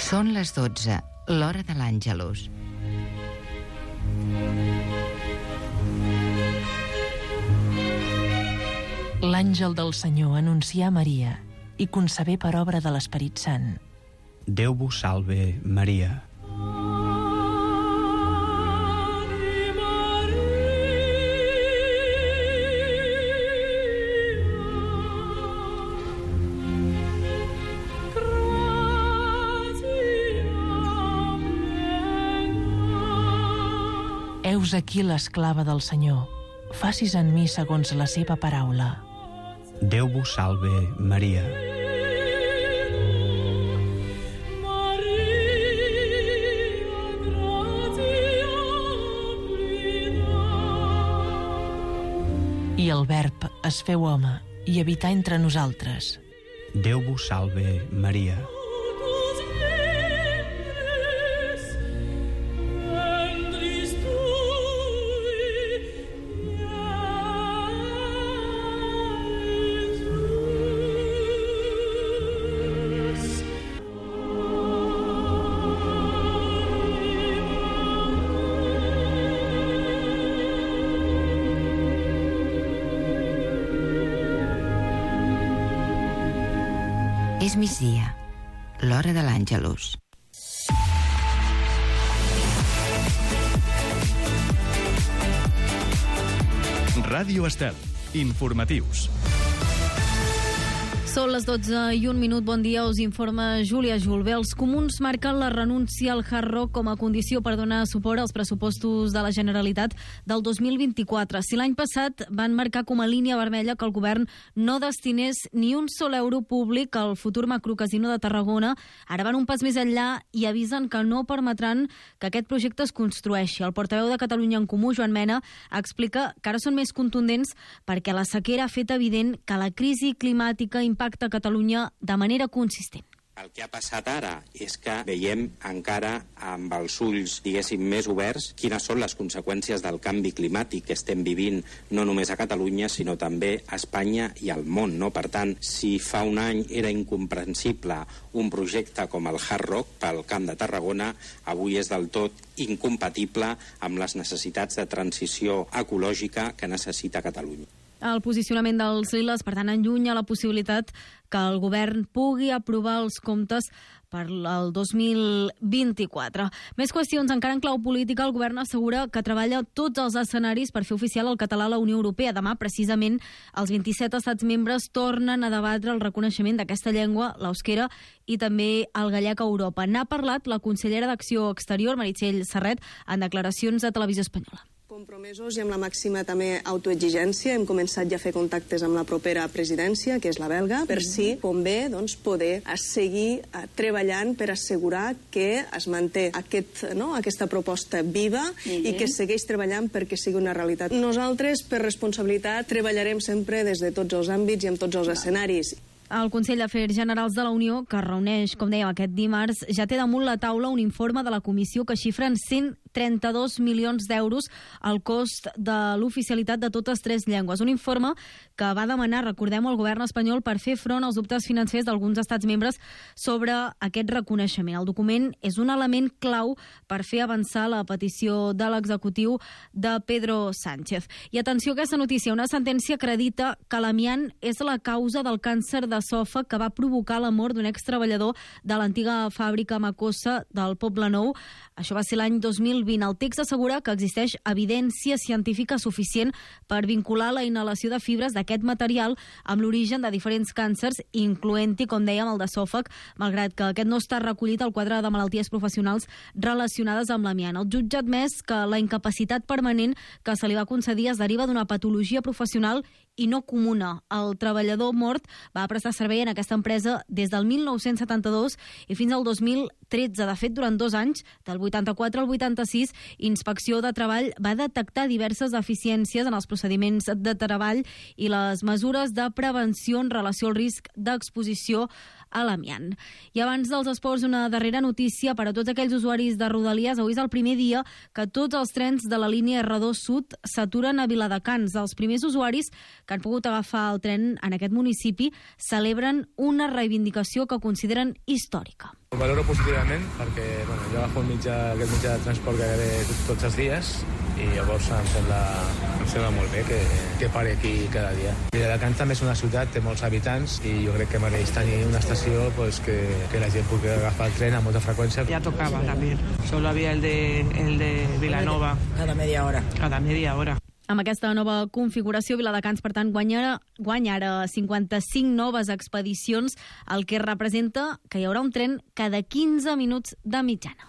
Són les 12, l'hora de l'Àngelus. L'àngel del Senyor anuncià a Maria i concebé per obra de l'Esperit Sant. Déu vos salve, Maria. Heus aquí l'esclava del Senyor. Facis en mi segons la seva paraula. Déu vos salve, Maria. I el Verb es feu home i habità entre nosaltres. Déu vos salve, Maria. És migdia, l'hora de l'Àngelus. Ràdio Estel. Informatius. Són les 12:01. Bon dia, us informa Júlia Julve. Els comuns marquen la renúncia al Hard Rock com a condició per donar suport als pressupostos de la Generalitat del 2024. Si l'any passat van marcar com a línia vermella que el govern no destinés ni un sol euro públic al futur macrocasino de Tarragona, ara van un pas més enllà i avisen que no permetran que aquest projecte es construeixi. El portaveu de Catalunya en Comú, Joan Mena, explica que ara són més contundents perquè la sequera ha fet evident que la crisi climàtica impacta a Catalunya de manera consistent. El que ha passat ara és que veiem encara amb els ulls, diguéssim, més oberts quines són les conseqüències del canvi climàtic que estem vivint no només a Catalunya, sinó també a Espanya i al món, no? Per tant, si fa un any era incomprensible un projecte com el Hard Rock pel Camp de Tarragona, avui és del tot incompatible amb les necessitats de transició ecològica que necessita Catalunya. El posicionament dels Liles, per tant, allunya la possibilitat que el govern pugui aprovar els comptes per el 2024. Més qüestions encara en clau política. El govern assegura que treballa tots els escenaris per fer oficial el català a la Unió Europea. Demà, precisament, els 27 estats membres tornen a debatre el reconeixement d'aquesta llengua, l'eusquera, i també el gallec a Europa. N'ha parlat la consellera d'Acció Exterior, Meritxell Serret, en declaracions a Televisió Espanyola. Compromesos i amb la màxima també autoexigència. Hem començat ja a fer contactes amb la propera presidència, que és la belga, per si convé poder seguir treballant per assegurar que es manté aquesta proposta viva i que segueix treballant perquè sigui una realitat. Nosaltres, per responsabilitat, treballarem sempre des de tots els àmbits i en tots els escenaris. El Consell d'Afers Generals de la Unió, que es reuneix, com dèiem, aquest dimarts, ja té damunt la taula un informe de la Comissió que xifra en 132 milions d'euros el cost de l'oficialitat de totes tres llengües. Un informe que va demanar, recordem-ho, al govern espanyol per fer front als dubtes financers d'alguns estats membres sobre aquest reconeixement. El document és un element clau per fer avançar la petició de l'executiu de Pedro Sánchez. I atenció a aquesta notícia, una sentència acredita que l'amiant és la causa del càncer d'esòfag que va provocar la mort d'un extreballador de l'antiga fàbrica Macossa del Poble Nou. Això va ser l'any 2020. El text assegura que existeix evidència científica suficient per vincular la inhalació de fibres d'aquest material amb l'origen de diferents càncers, incloent-hi, com dèiem, el d'esòfag, malgrat que aquest no està recollit al quadre de malalties professionals relacionades amb l'amiant. El jutge ha admès que la incapacitat permanent que se li va concedir es deriva d'una patologia professional i no comuna. El treballador mort va prestar servei en aquesta empresa des del 1972 i fins al 2013. De fet, durant 2 anys, del 84 al 86, Inspecció de Treball va detectar diverses deficiències en els procediments de treball i les mesures de prevenció en relació al risc d'exposició a l'amiant. I abans dels esports, una darrera notícia per a tots aquells usuaris de Rodalies. Avui és el primer dia que tots els trens de la línia R2 Sud s'aturen a Viladecans. Els primers usuaris que han pogut agafar el tren en aquest municipi celebren una reivindicació que consideren històrica. Ho valoro positivament perquè jo agafo aquest mitjà de transport gairebé tots els dies i llavors em sembla molt bé que pari aquí cada dia. Viladecans també és una ciutat, té molts habitants i jo crec que mereix tenir una estació que la gent pugui agafar el tren amb molta freqüència. Ya tocaba también, solo había el de Vilanova. Cada media hora. Cada media hora. Amb aquesta nova configuració, Viladecans, per tant, guanya ara 55 noves expedicions, el que representa que hi haurà un tren cada 15 minuts de mitjana.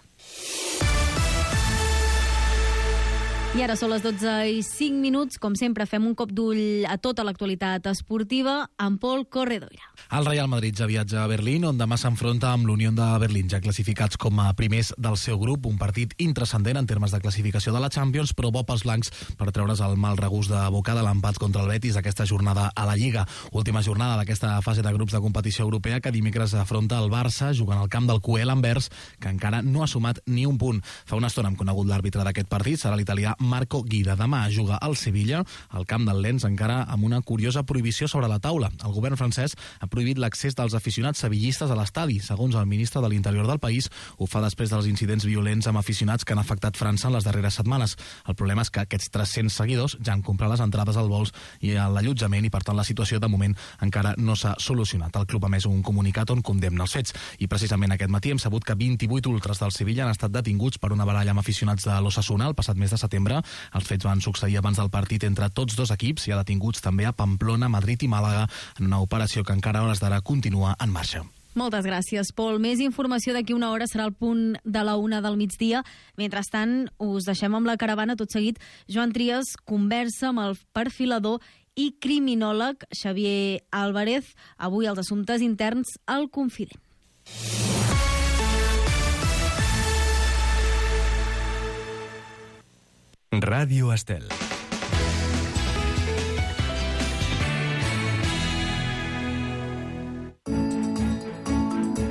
I ara són les 12:05. Com sempre, fem un cop d'ull a tota l'actualitat esportiva amb Pol Corredoira. El Real Madrid ja viatja a Berlín, on demà s'enfronta amb l'Unió de Berlín, ja classificats com a primers del seu grup. Un partit intranscendent en termes de classificació de la Champions, però bo pels blancs per treure's el mal regust de boca de l'empat contra el Betis aquesta jornada a la Lliga. Última jornada d'aquesta fase de grups de competició europea, que dimecres afronta el Barça jugant al camp del QL Anvers, que encara no ha sumat ni un punt. Fa una estona hem conegut l'àrbitre d'aquest partit, serà l'italià Marco Guida. Demà juga al Sevilla, al camp del Lens, encara amb una curiosa prohibició sobre la taula. El govern francès ha prohibit l'accés dels aficionats sevillistes a l'estadi. Segons el ministre de l'Interior del país, ho fa després dels incidents violents amb aficionats que han afectat França en les darreres setmanes. El problema és que aquests 300 seguidors ja han comprat les entrades als vols i a l'allotjament i, per tant, la situació de moment encara no s'ha solucionat. El club ha emès un comunicat on condemna els fets i precisament aquest matí hem sabut que 28 ultres del Sevilla han estat detinguts per una baralla amb aficionats de l'Osasuna el passat mes de setembre. Els fets van succeir abans del partit entre tots dos equips i ha detinguts també a Pamplona, Madrid i Màlaga en una operació que encara a hores d'ara continua en marxa. Moltes gràcies, Pol. Més informació d'aquí una hora, serà el punt de la 1 del migdia. Mentrestant, us deixem amb la caravana. Tot seguit, Joan Trias conversa amb el perfilador i criminòleg Xavier Álvarez. Avui els assumptes interns al Confident. Ràdio Estel.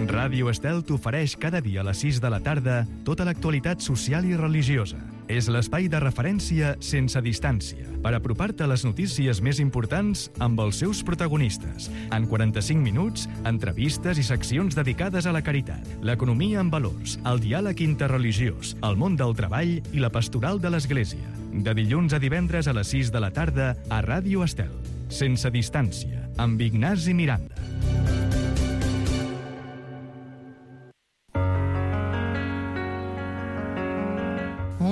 Ràdio Estel t'ofereix cada dia a les 6 de la tarda tota l'actualitat social i religiosa. És l'espai de referència sense distància per apropar-te a les notícies més importants amb els seus protagonistes. En 45 minuts, entrevistes i seccions dedicades a la caritat, l'economia en valors, el diàleg interreligiós, el món del treball i la pastoral de l'Església. De dilluns a divendres a les 6 de la tarda a Ràdio Estel. Sense distància, amb Ignasi Miranda.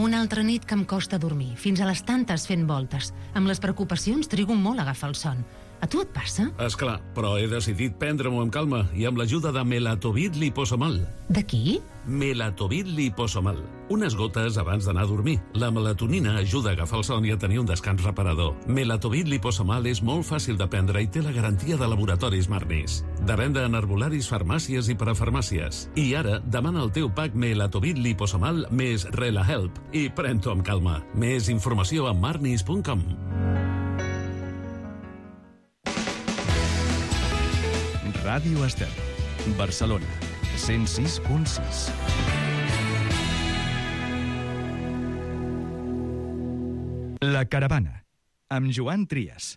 Una altra nit que em costa dormir, fins a les tantes fent voltes. Amb les preocupacions trigo molt a agafar el son. A tu et passa? Esclar, però he decidit prendre-m'ho amb calma i amb l'ajuda de Melatovit Liposomal. De qui? Melatovit Liposomal. Unes gotes abans d'anar a dormir. La melatonina ajuda a agafar el son i a tenir un descans reparador. Melatovit Liposomal és molt fàcil de prendre i té la garantia de laboratoris Marnis. De venda en herbolaris, farmàcies i parafarmàcies. I ara, demana el teu pack Melatovit Liposomal més RelaHelp i pren-t'ho amb calma. Més informació a marnis.com. Ràdio Estel, Barcelona, 106.6. La caravana, amb Joan Trias.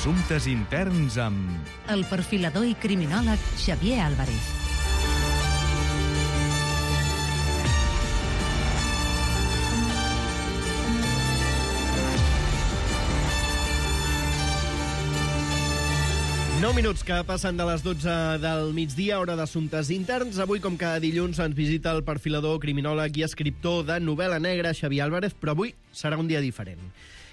Assumptes interns amb... El perfilador i criminòleg Xavier Álvarez. Nou minuts que passen de les 12 del migdia, hora d'assumptes interns. Avui, com cada dilluns, ens visita el perfilador, criminòleg i escriptor de novel·la negra, Xavier Álvarez, però avui serà un dia diferent.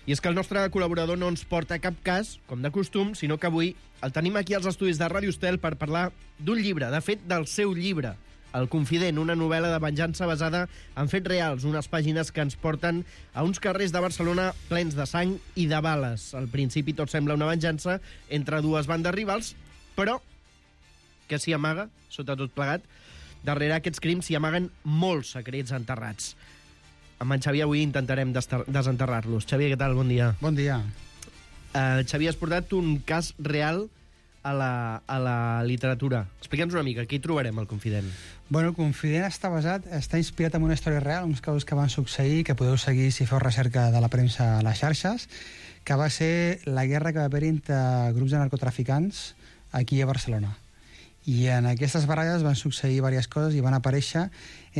I és que el nostre col·laborador no ens porta cap cas, com de costum, sinó que avui el tenim aquí als estudis de Ràdio Estel per parlar d'un llibre, de fet, del seu llibre, El Confident, una novel·la de venjança basada en fets reals, unes pàgines que ens porten a uns carrers de Barcelona plens de sang i de bales. Al principi tot sembla una venjança entre dues bandes rivals, però que s'hi amaga, sota tot plegat, darrere aquests crims s'hi amaguen molts secrets enterrats. Amb en Xavier avui intentarem desenterrar-los. Xavier, què tal? Bon dia. Bon dia. Xavier, has portat un cas real a la literatura. Explica'ns una mica, què hi trobarem al Confident? Bueno, el Confident està inspirat en una història real, uns casos que van succeir, que podeu seguir si feu recerca de la premsa a les xarxes, que va ser la guerra que va haver entre grups de narcotraficants aquí a Barcelona. I en aquestes baralles van succeir diverses coses i van aparèixer,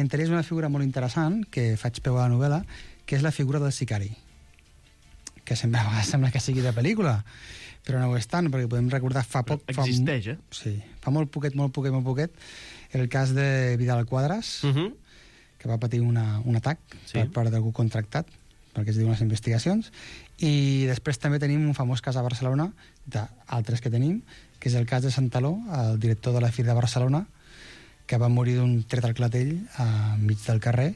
entre ells una figura molt interessant, que faig peu a la novel·la, que és la figura del sicari, que sembla que sigui de pel·lícula, però no ho és tant, perquè podem recordar fa poc... Existeix, Sí, fa molt poquet, el cas de Vidal Quadras, que va patir un atac per part d'algú contractat, perquè es diuen les investigacions, i després també tenim un famós cas a Barcelona, d'altres que tenim, que és el cas de Santaló, el director de la Fira de Barcelona, que va morir d'un tret al clatell enmig del carrer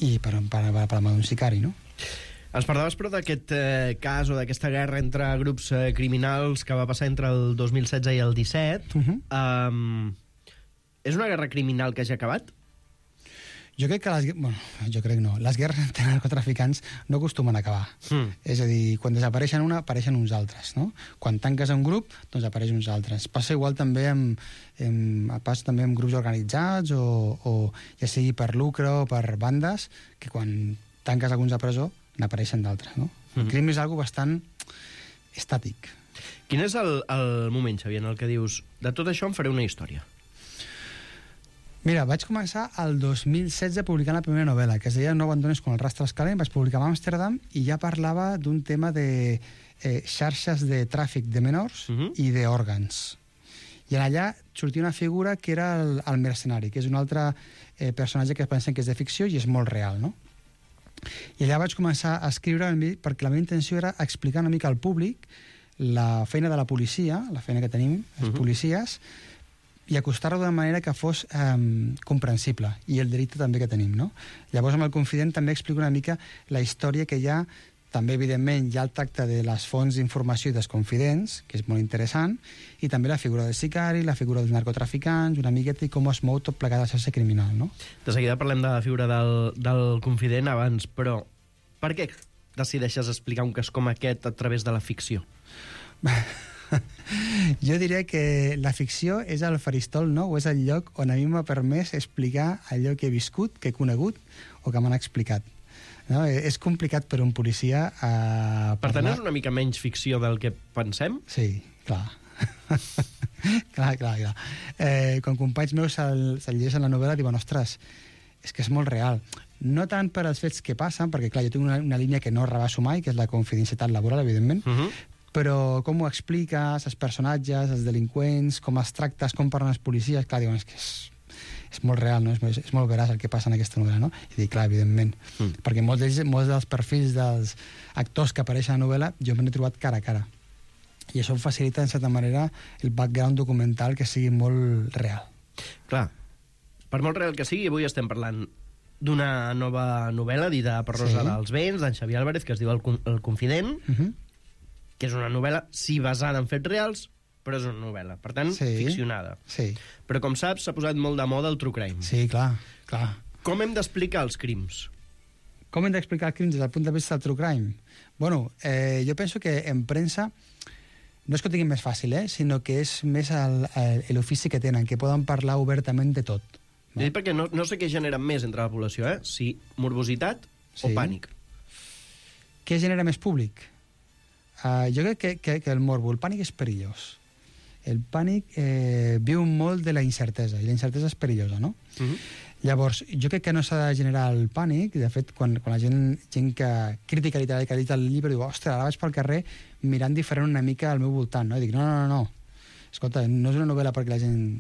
i per mà d'un sicari, no? Ens parlaves, però, d'aquest cas o d'aquesta guerra entre grups criminals que va passar entre el 2016 i el 17. És una guerra criminal que ja ha acabat? Jo crec que jo crec no. Les guerres entre narcotraficants no acostumen a acabar. És a dir, quan desapareixen una, apareixen uns altres, no? Quan tanques un grup, doncs apareixen uns altres. Passa igual també amb grups organitzats o ja sigui per lucre o per bandes, que quan tanques alguns a presó, n'apareixen d'altres, no? El crim és algo bastant estàtic. Quin és el moment, Xavier, en el que dius de tot això en faré una història? Mira, vaig començar el 2016 publicant la primera novel·la, que es deia No abandones con el rastro escalent, vaig publicar a Amsterdam i ja parlava d'un tema de xarxes de tràfic de menors i d'òrgans. I allà sortia una figura que era el mercenari, que és un altre personatge que pensen que és de ficció i és molt real, no? I allà vaig començar a escriure perquè la meva intenció era explicar una mica al públic la feina de la policia, la feina que tenim, els policies, i acostar-ho d'una manera que fos comprensible, i el delicte també que tenim, no? Llavors, amb el Confident també explico una mica la història que hi ha, també, evidentment, hi ha el tracte de les fonts d'informació i dels confidents, que és molt interessant, i també la figura del sicari, la figura dels narcotraficants, una miqueta i com es mou tot plegat a la xarxa criminal, no? De seguida parlem de la figura del confident abans, però per què decideixes explicar un cas com aquest a través de la ficció? Jo diria que la ficció és el faristol nou, és el lloc on a mi m'ha permès explicar allò que he viscut, que he conegut o que m'han explicat. No? És complicat per un policia Per tant, és una mica menys ficció del que pensem? Sí, clar. clar. Quan companys meus se'l llegeixen la novel·la diuen, ostres, és que és molt real. No tant per als fets que passen, perquè clar, jo tinc una línia que no rebasso mai, que és la confidencialitat laboral, evidentment, però com ho expliques, els personatges, els delinqüents, com els tractes, com parlen els policies, clar, diuen, és que és molt real, no? És molt veraç el que passa en aquesta novel·la, no? I dic, clar, evidentment, perquè molts dels perfils dels actors que apareixen a la novel·la jo m'he trobat cara a cara. I això facilita, en certa manera, el background documental que sigui molt real. Clar, per molt real que sigui, avui estem parlant d'una nova novel·la dita per Rosa dels Vents, d'en Xavier Álvarez, que es diu El Confident, que és una novel·la, sí, basada en fets reals, però és una novel·la, per tant, ficcionada. Sí. Però, com saps, s'ha posat molt de moda el true crime. Sí, clar. Com hem d'explicar els crims? Com hem d'explicar els crims des del punt de vista del true crime? Bueno, jo penso que en premsa no és que ho tinguin més fàcil, sinó que és més l'ofici que tenen, que poden parlar obertament de tot. No? Perquè no sé què generen més entre la població, si morbositat o pànic. Què genera més públic? Jo crec que el morbo, el pànic és perillós. El pànic viu molt de la incertesa, i la incertesa és perillosa, no? Llavors, jo crec que no s'ha de generar el pànic. De fet, quan la gent que crítica literària que ha dit el llibre diu, ostres, ara vaig pel carrer mirant diferent una mica al meu voltant, no? I dic, no. Escolta, no és una novel·la perquè la gent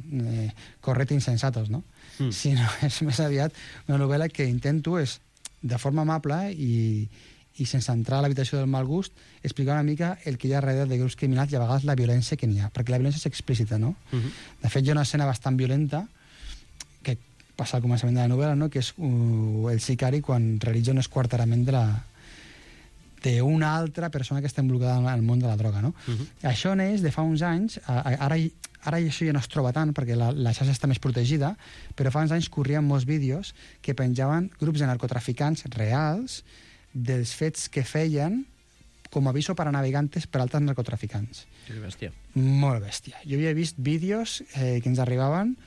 correta insensatos, no? Sinó és més aviat una novel·la que intento és, de forma amable i sense entrar a l'habitació del mal gust, explicar una mica el que hi ha darrere de grups criminals i a vegades la violència que n'hi ha, perquè la violència és explícita, no? De fet, hi ha una escena bastant violenta que passa al començament de la novel·la, no? Que és el sicari quan realitza un esquarterament d'una altra persona que està involucrada en el món de la droga, no? Això neix de fa uns anys, ara això ja no es troba tant perquè la xarxa està més protegida, però fa uns anys corrien molts vídeos que penjaven grups de narcotraficants reals dels fets que feien com a aviso para navegantes per altres narcotraficants. Que bèstia. Molt bèstia. Jo havia vist vídeos que ens arribaven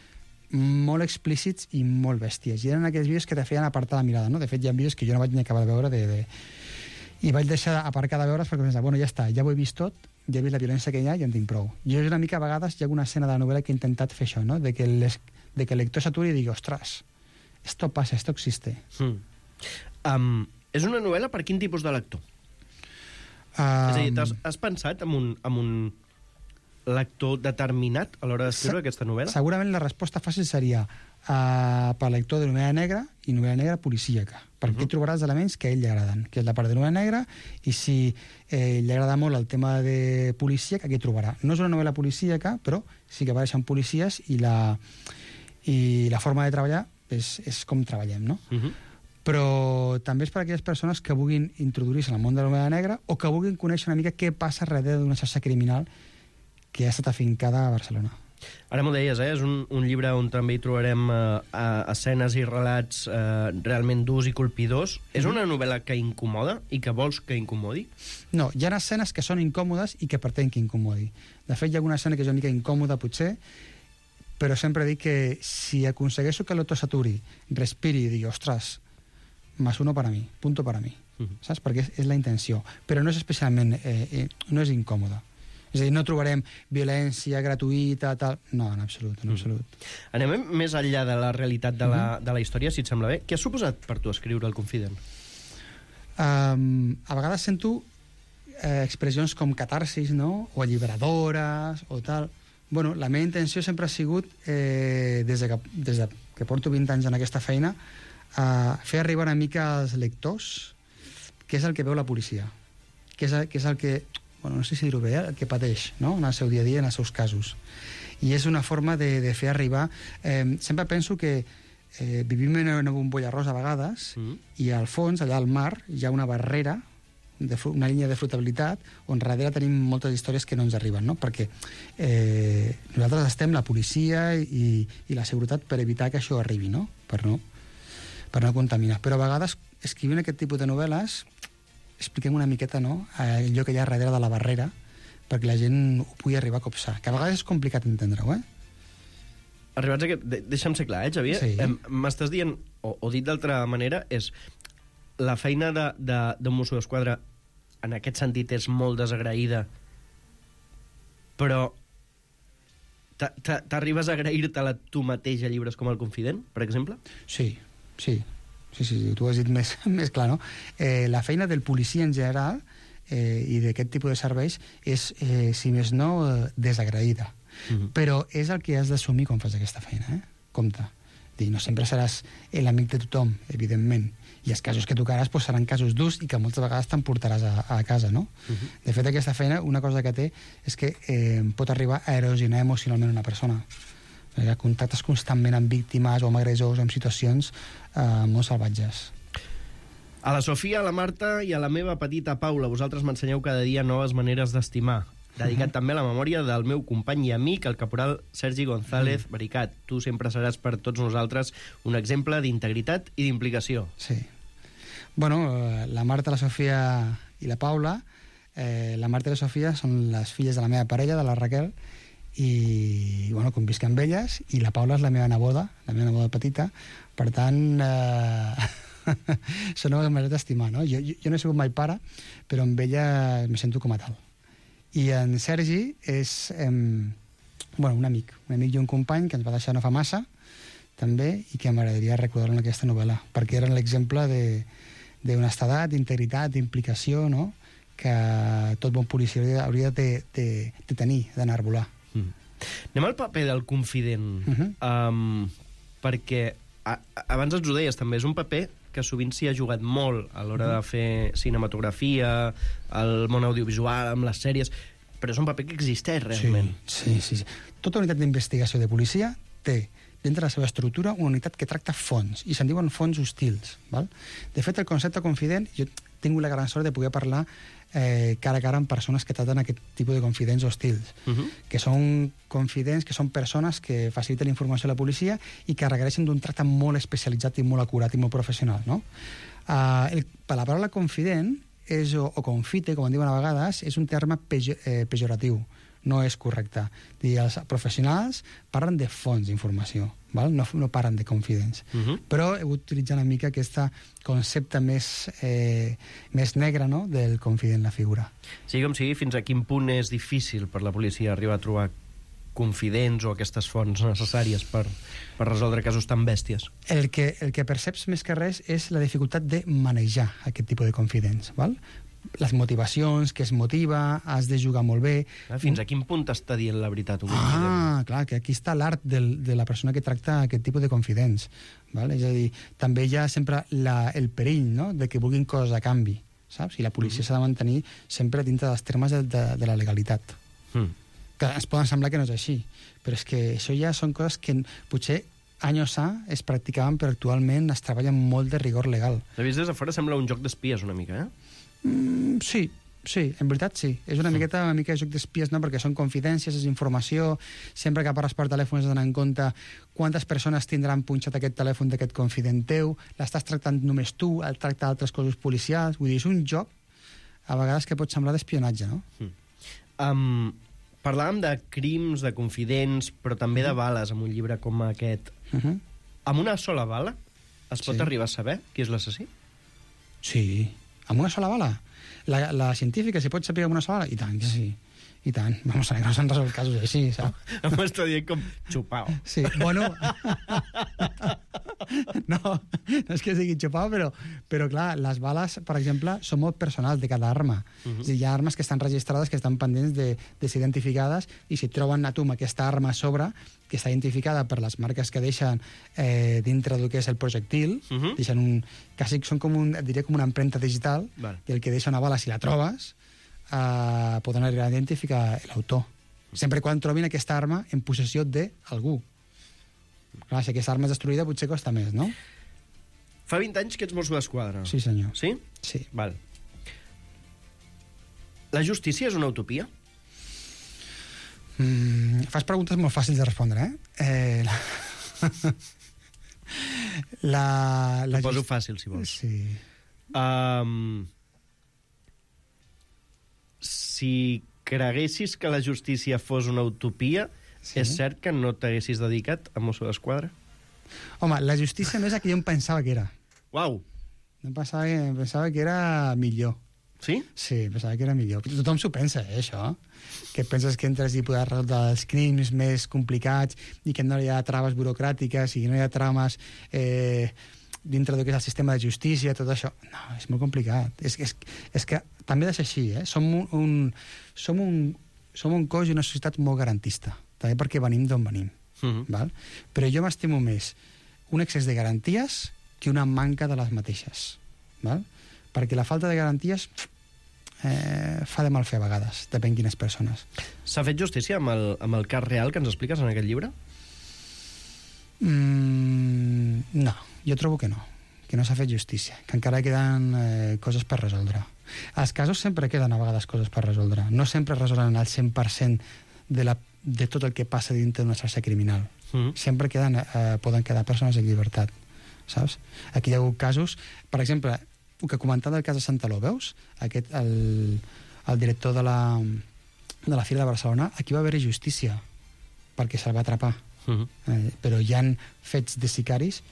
molt explícits i molt bèsties. I eren aquells vídeos que te feien apartar la mirada, no? De fet, hi ha vídeos que jo no vaig ni acabar de veure i vaig deixar aparcar de veure's perquè pensava, bueno, ja està, ja ho he vist tot, ja he vist la violència que hi ha i en tinc prou. Jo una mica a vegades hi ha una escena de la novel·la que he intentat fer això, no? De que el lector s'aturi i digui, ostres, esto pasa, esto existe. És una novel·la per quin tipus de lector? És a dir, has pensat en un lector determinat a l'hora d'escriure aquesta novel·la? Segurament la resposta fàcil seria per lector de novel·la negra i novel·la negra policíaca, perquè aquí trobaràs elements que a ell li agraden, que és la part de novel·la negra, i si li agrada molt el tema de policíac, aquí trobarà. No és una novel·la policíaca, però sí que apareixen policies i la forma de treballar és com treballem, no? Però també és per a aquelles persones que vulguin introduir-se en el món de la novel·la negra o que vulguin conèixer una mica què passa darrere d'una xarxa criminal que ha estat afincada a Barcelona. Ara m'ho deies, és un llibre on també hi trobarem escenes i relats realment durs i colpidors. És una novel·la que incomoda i que vols que incomodi? No, hi ha escenes que són incòmodes i que pretén que incomodi. De fet, hi ha alguna escena que és una mica incòmoda, potser, però sempre dic que si aconsegueixo que l'autor s'aturi, respiri i digui, ostres, más uno para mí, punto para mí, saps? Perquè és la intenció. Però no és especialment, no és incòmoda. És a dir, no trobarem violència gratuïta, tal... No, en absolut, en absolut. Anem més enllà de la realitat de la història, si et sembla bé. Què ha suposat per tu escriure El Confident? A vegades sento expressions com catarsis, no? O alliberadores, o tal. Bueno, la meva intenció sempre ha sigut, des que porto 20 anys en aquesta feina, fer arribar una mica als lectors què és el que veu la policia, què és el que, bueno, no sé si dir-ho bé, el que pateix, no? En el seu dia a dia, en els seus casos. I és una forma de fer arribar... sempre penso que vivim en una bombolla rosa a vegades i al fons, allà al mar, hi ha una barrera, una línia de flotabilitat on darrere tenim moltes històries que no ens arriben, no? Perquè nosaltres estem la policia i la seguretat per evitar que això arribi, no? Per no contaminar. Però a vegades, escrivint aquest tipus de novel·les, expliquem una miqueta, no?, allò que hi ha darrere de la barrera perquè la gent ho pugui arribar a copsar, que a vegades és complicat entendre-ho, Arribats a aquest... Deixa'm ser clar, Xavier? Sí. M'estàs dient, o dit d'altra manera, és la feina d'un Mosso d'Esquadra en aquest sentit és molt desagraïda, però t'arribes a agrair-te-la tu mateix a llibres com El Confident, per exemple? Sí, tu ho has dit més clar, no? La feina del policia en general i d'aquest tipus de serveis és, si més no, desagraïda. Però és el que has d'assumir quan fas aquesta feina, Compte. No sempre seràs l'amic de tothom, evidentment, i els casos que tocaràs seran casos durs i que moltes vegades t'emportaràs a casa, no? De fet, aquesta feina, una cosa que té és que pot arribar a erosionar emocionalment una persona. Contactes constantment amb víctimes o amb agressors o amb situacions molt salvatges. A la Sofia, a la Marta i a la meva petita Paula, vosaltres m'ensenyeu cada dia noves maneres d'estimar. Dedicat també a la memòria del meu company i amic, el caporal Sergi González Baricat. Tu sempre seràs per tots nosaltres un exemple d'integritat i d'implicació. Sí. Bueno, la Marta, la Sofia i la Paula, la Marta i la Sofia són les filles de la meva parella, de la Raquel, i bueno, convisc amb elles, i la Paula és la meva neboda petita, per tant són una manera d'estimar, no? Jo no he sigut mai pare, però amb ella me sento com a tal. I en Sergi és un amic i un company que ens va deixar no fa massa també, i que m'agradaria recordar-lo en aquesta novel·la, perquè era l'exemple d'honestedat, d'integritat, d'implicació, no?, que tot bon policia hauria de tenir, d'enarbolar. Anem al paper del confident, perquè abans ens ho deies també, és un paper que sovint s'hi ha jugat molt a l'hora de fer cinematografia, al món audiovisual, amb les sèries, però és un paper que existeix realment. Sí. Tota unitat d'investigació de policia té dintre de la seva estructura, una unitat que tracta fons, i se'n diuen fons hostils. Val? De fet, el concepte confident, jo he tingut la gran sort de poder parlar cara a cara amb persones que tracten aquest tipus de confidents hostils, que són confidents, que són persones que faciliten la informació a la policia i que requereixen d'un tracte molt especialitzat i molt acurat i molt professional. No? La paraula confident o confite, com en diuen a vegades, és un terme pejoratiu, no és correcte. Els professionals parlen de fons d'informació, no parlen de confidents. Però he utilitzat una mica aquest concepte més negre, no?, del confident, la figura. Sigui com sigui, fins a quin punt és difícil per la policia arribar a trobar confidents o aquestes fonts necessàries per resoldre casos tan bèsties? El que perceps més que res és la dificultat de manejar aquest tipus de confidents, val? Les motivacions, que es motiva, has de jugar molt bé... Fins a quin punt t'està dient la veritat un confident? Clar, que aquí està l'art de la persona que tracta aquest tipus de confidents. Val? És a dir, també hi ha sempre el perill, no?, de que vulguin coses a canvi, saps? I la policia s'ha de mantenir sempre dintre dels termes de la legalitat. Que ens poden semblar que no és així, però és que això ja són coses que potser anys A es practicaven, però actualment es treballa amb molt de rigor legal. De vist des de fora sembla un joc d'espies una mica, Sí, en veritat sí. És una mica joc d'espies, no? Perquè són confidències, és informació. Sempre que parles per telèfon has d'anar en compte quantes persones tindran punxat aquest telèfon d'aquest confident teu, l'estàs tractant només tu, el tracta altres cossos policials. Vull dir, és un joc a vegades que pot semblar d'espionatge, no? Parlàvem de crims, de confidents, però també de bales, amb un llibre com aquest. Amb una sola bala es pot arribar a saber qui és l'assassí? Sí. Amb una sola bala? La científica, si pot saber amb una sola bala? I tant, que sí. I tant. Vamos a ver, no s'han resolt casos així, saps? Em està dient com xupau. Sí, bueno... No és que sigui xupau, però clar, les bales, per exemple, són molt personals de cada arma. És a dir, hi ha armes que estan registrades, que estan pendents de ser identificades, i si troben a tu amb aquesta arma a sobre, que està identificada per les marques que deixen dintre del que és el projectil, deixen quasi són com diria com una empremta digital, i el que deixa una bala, si la trobes, poden arribar a identificar l'autor. Sempre quan trobin aquesta arma en possessió d'algú. Clar, si aquesta arma és destruïda potser costa més, no? Fa 20 anys que ets Mosso d'Esquadra. Sí, senyor. Sí? Sí. Val. La justícia és una utopia? Fas preguntes molt fàcils de respondre, T'ho poso fàcil, si vols. Sí. Si creguessis que la justícia fos una utopia, és cert que no t'haguessis dedicat a Mosso d'Esquadra? Home, la justícia no és el que jo em pensava que era. Uau! Em pensava que era millor. Sí? Sí, pensava que era millor. Tothom s'ho pensa, això. Que penses que entres i podràs resoldre els crims més complicats i que no hi ha traves burocràtiques i no hi ha trames dintre del que és el sistema de justícia, tot això. No, és molt complicat. És que també ha de ser així, Som un cos i una societat molt garantista, també perquè venim d'on venim. Val? Però jo m'estimo més un excés de garanties que una manca de les mateixes. Val? Perquè la falta de garanties fa de mal fer a vegades, depèn quines persones. S'ha fet justícia amb el cas real que ens expliques en aquest llibre? No, jo trobo que no s'ha fet justícia, que encara queden coses per resoldre. Els casos sempre queden a vegades coses per resoldre, no sempre resolen el 100% de tot el que passa dintre d'una xarxa criminal. Sempre poden quedar persones en llibertat, saps? Aquí hi ha hagut casos, per exemple, el que comentava del cas de Santaló, veus? El director de la Fira de Barcelona, aquí va haver-hi justícia, perquè se'l va atrapar. Però hi ha fets de sicaris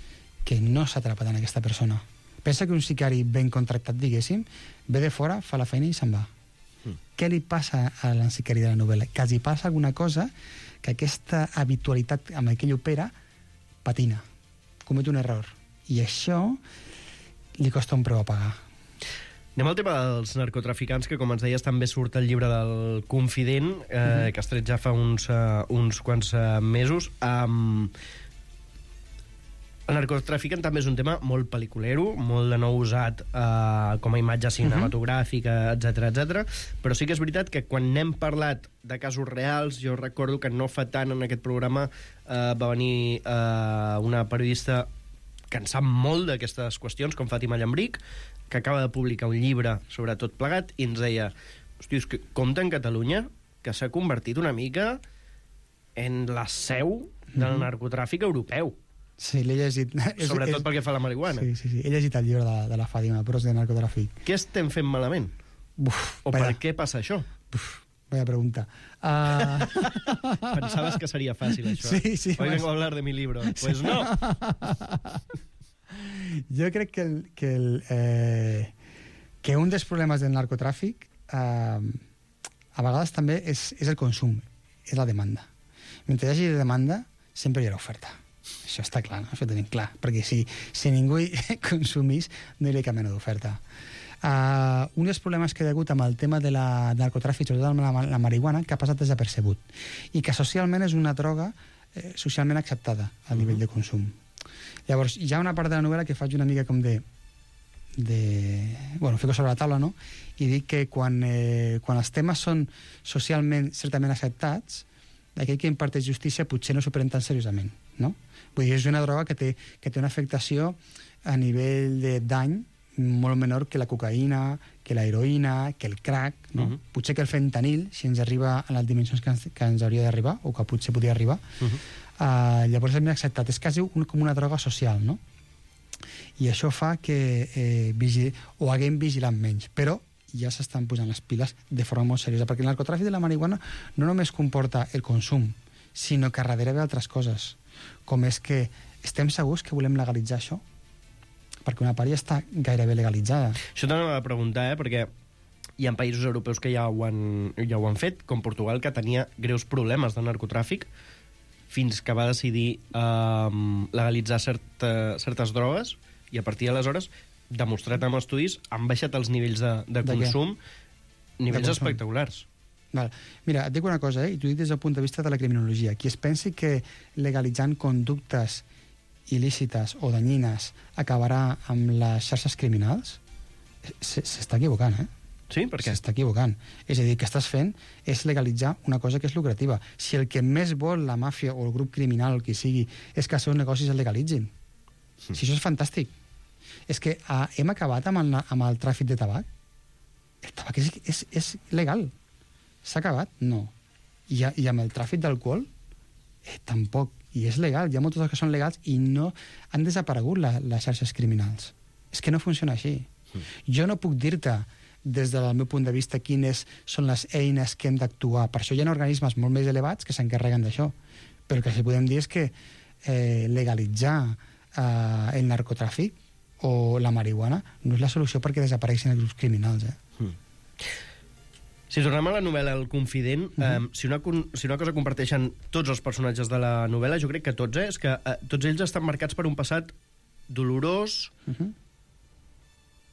que no s'ha atrapat en aquesta persona. Pensa que un sicari ben contractat, diguéssim, ve de fora, fa la feina i se'n va. Què li passa a la sicari de la novel·la? Que els hi passa alguna cosa que aquesta habitualitat amb la que ell opera patina, comet un error. I això li costa un preu a pagar. Anem al tema dels narcotraficants, que com ens deies també surt el llibre del Confident, que has tret ja fa uns quants mesos. El narcotraficant també és un tema molt pel·liculero, molt de nou usat com a imatge cinematogràfica, etc. Però sí que és veritat que quan n'hem parlat de casos reals, jo recordo que no fa tant en aquest programa va venir una periodista que en sap molt d'aquestes qüestions, com Fàtima Llambric, que acaba de publicar un llibre sobre tot plegat, i ens deia, hosti, és que compte en Catalunya que s'ha convertit una mica en la seu del narcotràfic europeu. Sí, l'he llegit. Sobretot pel que fa a la marihuana. Sí. He llegit el llibre de la Fàtima, Pros de narcotràfic. Què estem fent malament? Per què passa això? Vaya pregunta. Pensaves que seria fàcil, això. Sí. Hoy vengo a hablar de mi libro. Pues no. Jo crec que un dels problemes del narcotràfic a vegades també és el consum, és la demanda. Mentre hi hagi demanda, sempre hi haurà oferta. Això està clar, no? Això ho tenim clar. Perquè si ningú consumís, no hi hauria cap mena d'oferta. Un dels problemes que hi ha hagut amb el tema del narcotràfic, sobretot amb la marihuana, que ha passat desapercebut i que socialment és una droga socialment acceptada a nivell de consum. Llavors, hi ha una part de la novel·la que faig una mica com bueno, fico sobre la taula, no? I dic que quan els temes són socialment certament acceptats, aquell que imparteix justícia potser no s'ho pren tan seriosament, no? Vull dir, és una droga que té una afectació a nivell de dany molt menor que la cocaïna, que la heroïna, que el crack, no? Potser que el fentanil, si ens arriba a les dimensions que ens hauria d'arribar, o que potser podria arribar, llavors és ben acceptat. És quasi com una droga social, no? I això fa que ho haguem vigilat menys, però ja s'estan posant les piles de forma molt seriosa, perquè el narcotràfic de la marihuana no només comporta el consum, sinó que darrere ve altres coses, com és que estem segurs que volem legalitzar això? Perquè una part ja està gairebé legalitzada. Això t'anava a preguntar, perquè hi ha països europeus que ja ho han fet, com Portugal, que tenia greus problemes de narcotràfic, fins que va decidir legalitzar certes drogues, i a partir d'aleshores, demostrat amb estudis, han baixat els nivells de consum, nivells espectaculars. Val. Mira, et dic una cosa, i t'ho dic des del punt de vista de la criminologia. Qui es pensi que legalitzant conductes il·lícites o danyines acabarà amb les xarxes criminals, s'està equivocant, Sí? Per què? S'està equivocant. És a dir, el que estàs fent és legalitzar una cosa que és lucrativa. Si el que més vol la màfia o el grup criminal o el que sigui és que els seus negocis es legalitzin. Si això és fantàstic. És que hem acabat amb el tràfic de tabac. El tabac és legal. S'ha acabat? No. I amb el tràfic d'alcohol? Tampoc. I és legal. Hi ha moltes coses que són legals i no han desaparegut les xarxes criminals. És que no funciona així. Jo no puc dir-te des del meu punt de vista quines són les eines que hem d'actuar. Per això hi ha organismes molt més elevats que s'encarreguen d'això. Però el que sí podem dir és que legalitzar el narcotràfic o la marihuana no és la solució perquè desapareixin els grups criminals. Si tornem a la novel·la El Confident, si una cosa comparteixen tots els personatges de la novel·la, jo crec que tots, és que tots ells estan marcats per un passat dolorós,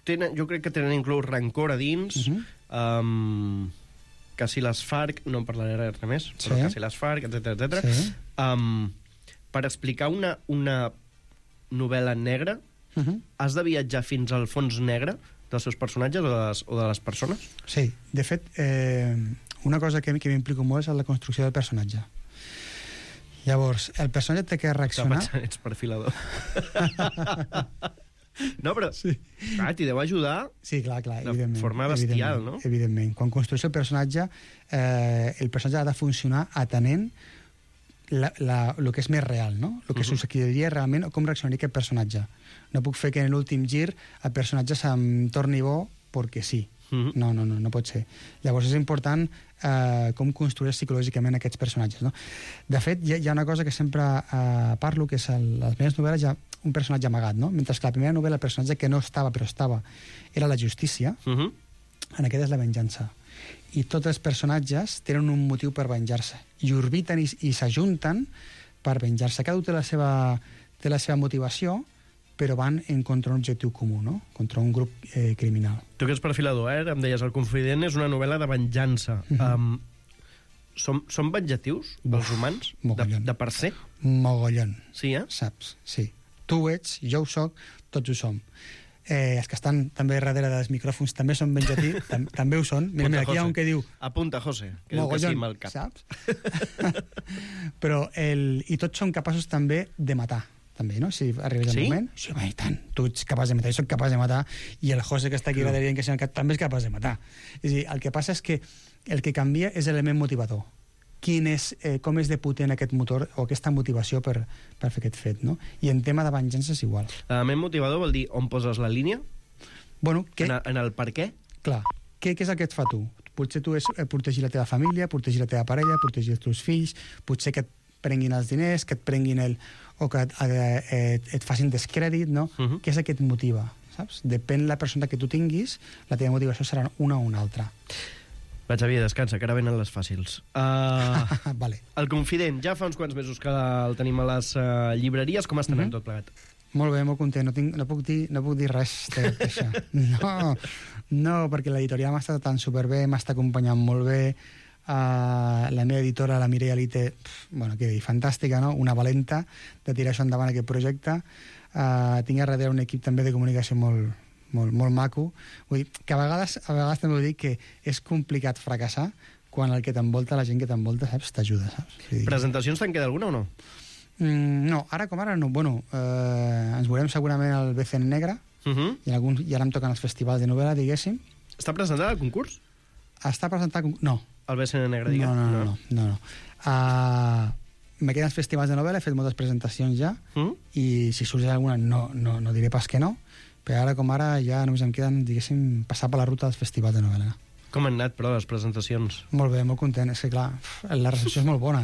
jo crec que tenen inclús rancor a dins, que si les FARC, no en parlaré res més, però que si les FARC, etc. Per explicar una novel·la negra, has de viatjar fins al fons negre dels seus personatges o de les persones? Sí, de fet, una cosa que m'implico molt és la construcció del personatge. Llavors, el personatge té que reaccionar... Ets perfilador. No, però clar, t'hi deu ajudar de forma bestial, no? Evidentment. Quan construeix el personatge ha de funcionar atenent el que és més real, no? El que succediria realment o com reaccionaria aquest personatge. No puc fer que en l'últim gir el personatge se'm torni bo perquè sí. No pot ser. Llavors és important com construir psicològicament aquests personatges, no? De fet, hi ha una cosa que sempre parlo, que és a les meves novel·les hi ha un personatge amagat, no? Mentre que la primera novel·la el personatge que no estava però estava era la justícia, en aquesta és la venjança. I tots els personatges tenen un motiu per venjar-se i orbiten i s'ajunten per venjar-se. Cada un té la seva motivació, però van en contra d'un objectiu comú, no? Contra un grup criminal. Tu que ets perfilador, em deies, El Confident és una novel·la de venjança. Són vengatius, els humans, de per ser? Mogollon. Sí, Saps? Sí. Tu ho ets, jo ho soc, tots ho som. Els que estan també darrere dels micròfons també són ben llatí, també ho són. Mira, aquí hi ha un que diu... Apunta, José, que diu que sí amb el cap. Saps? Però i tots som capaços també de matar, també, no? Si arribes al moment... Sí, home, i tant. Tu ets capaç de matar, jo soc capaç de matar, i el José que està aquí darrere dient que sí, també és capaç de matar. És a dir, el que passa és que el que canvia és l'element motivador. Com és de potent aquest motor o aquesta motivació per fer aquest fet, no? I en tema de venjança és igual. L'element motivador vol dir on poses la línia? Bueno, en el per què? Clar. Què és el que et fa tu? Potser tu és protegir la teva família, protegir la teva parella, protegir els teus fills, potser que et prenguin els diners, que et prenguin o que et facin descrèdit, no? Què és el que et motiva, saps? Depèn de la persona que tu tinguis, la teva motivació serà una o una altra. Va, Xavier, descansa, que ara venen les fàcils. Vale. El Confident, ja fa uns quants mesos que el tenim a les llibreries. Com està anant tot plegat? Molt bé, molt content. No puc dir res d'això. No, perquè l'editorial m'ha estat tan superbé, m'està acompanyant molt bé. La meva editora, la Mireia Lite, què dir, fantàstica, no? Una valenta de tirar això endavant, aquest projecte. Tinc a darrere un equip també de comunicació molt maco. Vull dir, que a vegades també vull dir que és complicat fracassar quan el que t'envolta, la gent que t'envolta, saps, t'ajuda, saps? Presentacions te'n queda alguna o no? No, ara com ara no. Bueno, ens veurem segurament al BCN Negre, i ara em toquen els festivals de novel·la, diguéssim. Està presentat el concurs? Està presentat el concurs? No. El BCN Negre, diguem? No. Me queden els festivals de novel·la, he fet moltes presentacions ja, i si sorgeix alguna no diré pas que no, però ara com ara ja només em queden, diguéssim, passar per la ruta dels festivals de novel·la. Com han anat, però, les presentacions? Molt bé, molt content. És que, clar, la recepció és molt bona.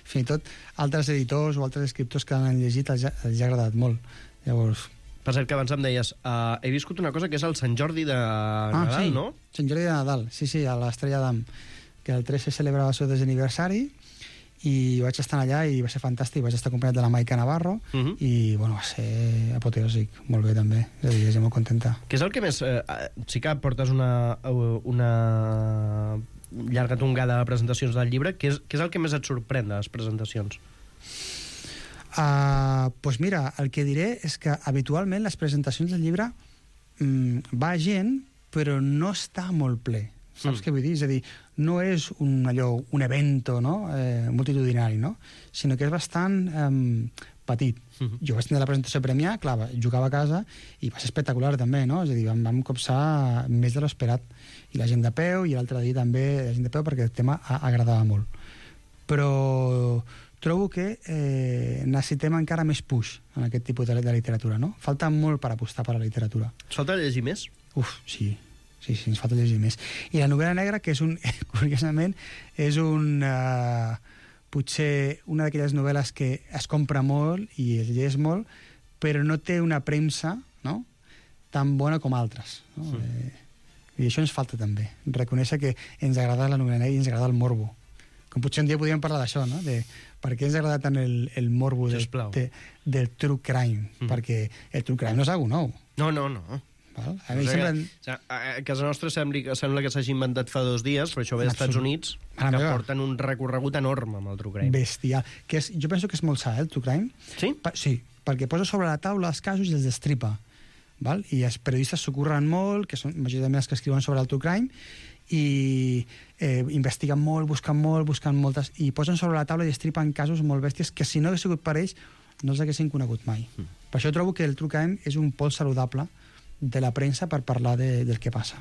Fins i tot altres editors o altres escriptors que han llegit els ha agradat molt. Llavors... Per cert, que abans em deies, he viscut una cosa que és el Sant Jordi de Nadal, no? Sant Jordi de Nadal, sí, a l'Estrella d'Am, que el 3 se celebrava el seu desaniversari, i vaig estar allà i va ser fantàstic, vaig estar acompanyat de la Maica Navarro i bueno, va ser apoteòsic, molt bé també, és a dir, estic molt contenta. Què és el que més... sí que portes una llarga tongada de presentacions del llibre, què és el que més et sorprèn de les presentacions? Pues mira, el que diré és que habitualment les presentacions del llibre va gent però no està molt ple. Saps què vull dir? És a dir, no és un evento, no? Multitudinari, no? Sinó que és bastant petit. Jo vaig tenir la presentació a Premià, clar, jugava a casa i va ser espectacular també, no? És a dir, vam copsar més de l'esperat. I la gent de peu, i l'altre dia també la gent de peu, perquè el tema agradava molt. Però trobo que necessitem encara més push en aquest tipus de literatura, no? Falta molt per apostar per la literatura. Et falta llegir més? Sí, ens falta llegir més. I la novel·la negra, que és curiosament, és potser una d'aquelles novel·les que es compra molt i es llegeix molt, però no té una premsa, no?, tan bona com altres. No? I això ens falta també. Reconèixer que ens agrada la novel·la negra i ens agrada el morbo. Com potser un dia podríem parlar d'això, no?, de per què ens agrada tant el morbo del true crime. Perquè el true crime no és alguna nou. No. A casa nostra sembla que s'hagi inventat fa 2 dies, però això ve dels Estats Units, que porten un recorregut enorme amb el true crime. Bestial. Jo penso que és molt sa, el true crime. Sí? Sí, perquè posa sobre la taula els casos i els destripa. I els periodistes s'ocorren molt, que són majoritàriament els que escriuen sobre el true crime, i investiguen molt, busquen moltes, i posen sobre la taula i destripen casos molt bèsties que si no hagués sigut per ells no els haguessin conegut mai. Per això trobo que el true crime és un pols saludable de la premsa per parlar del que passa.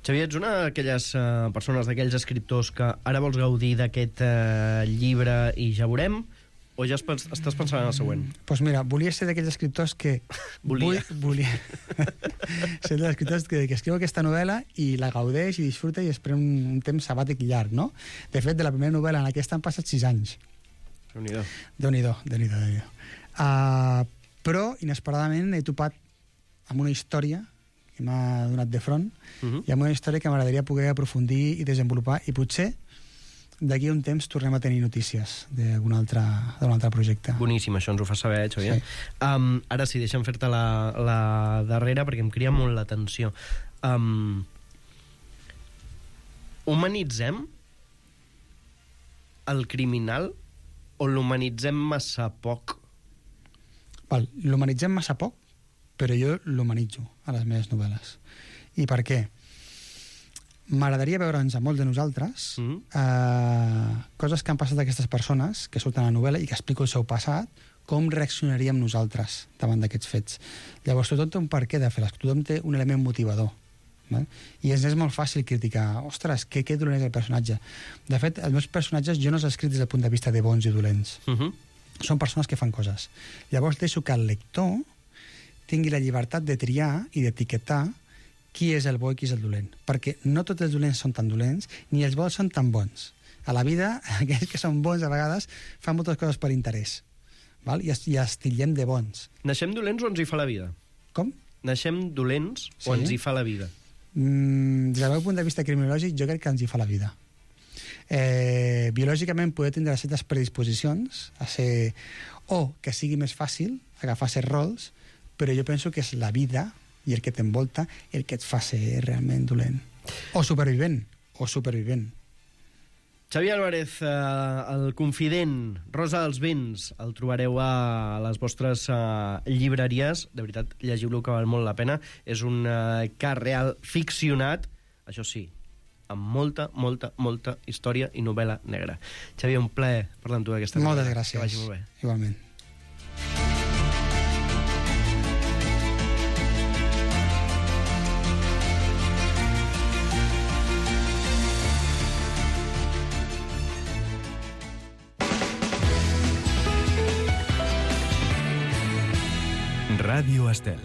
Xavier, ets una d'aquelles persones, d'aquells escriptors que ara vols gaudir d'aquest llibre i ja veurem, o ja estàs pensant en el següent? Doncs mira, volia ser d'aquells escriptors que... Volia. Ser d'aquells escriptors que escriu aquesta novel·la i la gaudeix i disfruta i es pren un temps sabàtic llarg, no? De fet, de la primera novel·la en aquesta han passat 6 anys. Déu-n'hi-do. Però, inesperadament, he topat amb una història que m'ha donat de front i amb una història que m'agradaria poder aprofundir i desenvolupar, i potser d'aquí a un temps tornem a tenir notícies d'un altre projecte. Boníssim, això ens ho fa saber, Xavier. Sí. Ara sí, deixa'm fer-te la darrera perquè em cria molt l'atenció. Humanitzem el criminal o l'humanitzem massa poc? L'humanitzem massa poc, però jo l'humanitzo a les meves novel·les. I per què? M'agradaria veure'ns a molts de nosaltres coses que han passat a aquestes persones que surten a la novel·la i que explico el seu passat, com reaccionaríem nosaltres davant d'aquests fets. Llavors, tothom té un per què de fer-les, tothom té un element motivador. I és molt fàcil criticar, ostres, que dolent és el personatge. De fet, els meus personatges jo no els he escrit des del punt de vista de bons i dolents. Són persones que fan coses. Llavors deixo que el lector tingui la llibertat de triar i d'etiquetar qui és el bo i qui és el dolent. Perquè no tots els dolents són tan dolents, ni els bons són tan bons. A la vida, aquells que són bons a vegades fan moltes coses per interès. I els titllem de bons. Naixem dolents o ens hi fa la vida? Com? Naixem dolents o ens hi fa la vida? Des del meu punt de vista criminològic, jo crec que ens hi fa la vida. Biològicament poder tindre certes predisposicions a ser... o que sigui més fàcil agafar certs rols, però jo penso que és la vida i el que t'envolta el que et fa ser realment dolent. O supervivent. Xavi Álvarez, el confident, Rosa dels vents, el trobareu a les vostres llibreries. De veritat, llegiu-lo, que val molt la pena. És un cas real ficcionat, això sí, amb molta, molta, molta història i novel·la negra. Xavi, un plaer parlar amb tu aquesta Moltes novel·la. gràcies. Que vagi molt bé. Igualment. Ràdio Estel.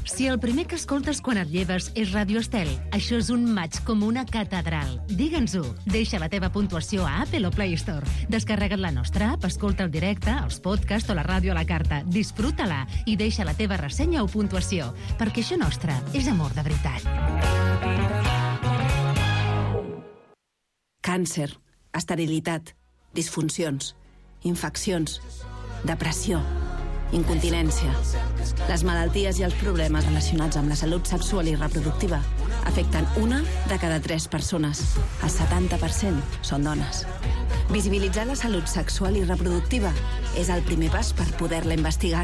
Si el primer que escoltes quan et lleves és Ràdio Estel, això és un maig com una catedral. Digue'ns-ho. Deixa la teva puntuació a Apple o Play Store. Descarrega't la nostra app, escolta el directe, els podcasts o la ràdio a la carta. Disfruta-la i deixa la teva ressenya o puntuació, perquè això nostre és amor de veritat. Càncer, esterilitat, disfuncions, infeccions, depressió, incontinència. Les malalties i els problemes relacionats amb la salut sexual i reproductiva afecten 1 de cada 3 persones. El 70% són dones. Visibilitzar la salut sexual i reproductiva és el primer pas per poder-la investigar.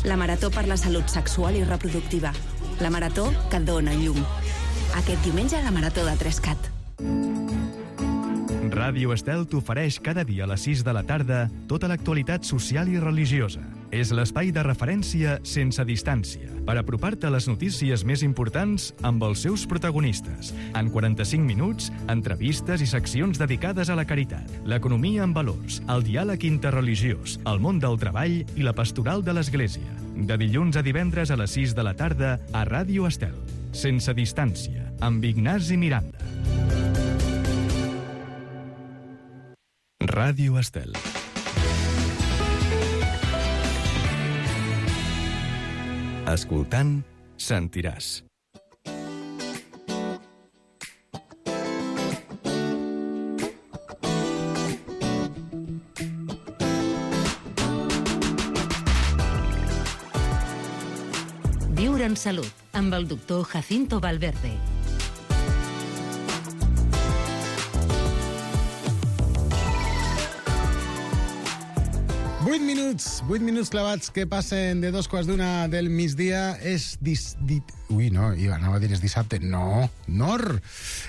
La Marató per la Salut Sexual i Reproductiva. La marató que et dona llum. Aquest diumenge a la Marató de Trescat. Ràdio Estel t'ofereix cada dia a les 6 de la tarda tota l'actualitat social i religiosa. És l'espai de referència sense distància per apropar-te a les notícies més importants amb els seus protagonistes. En 45 minuts, entrevistes i seccions dedicades a la caritat, l'economia en valors, el diàleg interreligiós, el món del treball i la pastoral de l'Església. De dilluns a divendres a les 6 de la tarda a Ràdio Estel. Sense distància, amb Ignasi Miranda. Ràdio Estel. Escoltant, sentiràs. Viure en salut, amb el doctor Jacinto Valverde. Vuit minuts clavats que passen de 2:15 del migdia. És anava a dir és dissabte. No,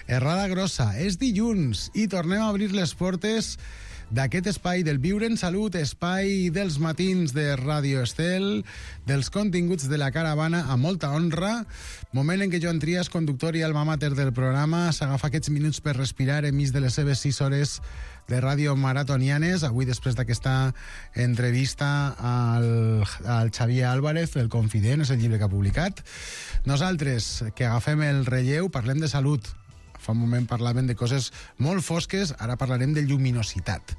errada grossa. És dilluns i tornem a obrir les portes d'aquest espai del Viure en Salut, espai dels matins de Ràdio Estel, dels continguts de la caravana, a molta honra. Moment en què Joan Trias, conductor i alma mater del programa, s'agafa aquests minuts per respirar enmig de les seves 6 hores de ràdio maratonianes. Avui, després d'aquesta entrevista al Xavier Álvarez, El confident, és el llibre que ha publicat. Nosaltres, que agafem el relleu, parlem de salut. Fa un moment parlàvem de coses molt fosques, ara parlarem de lluminositat.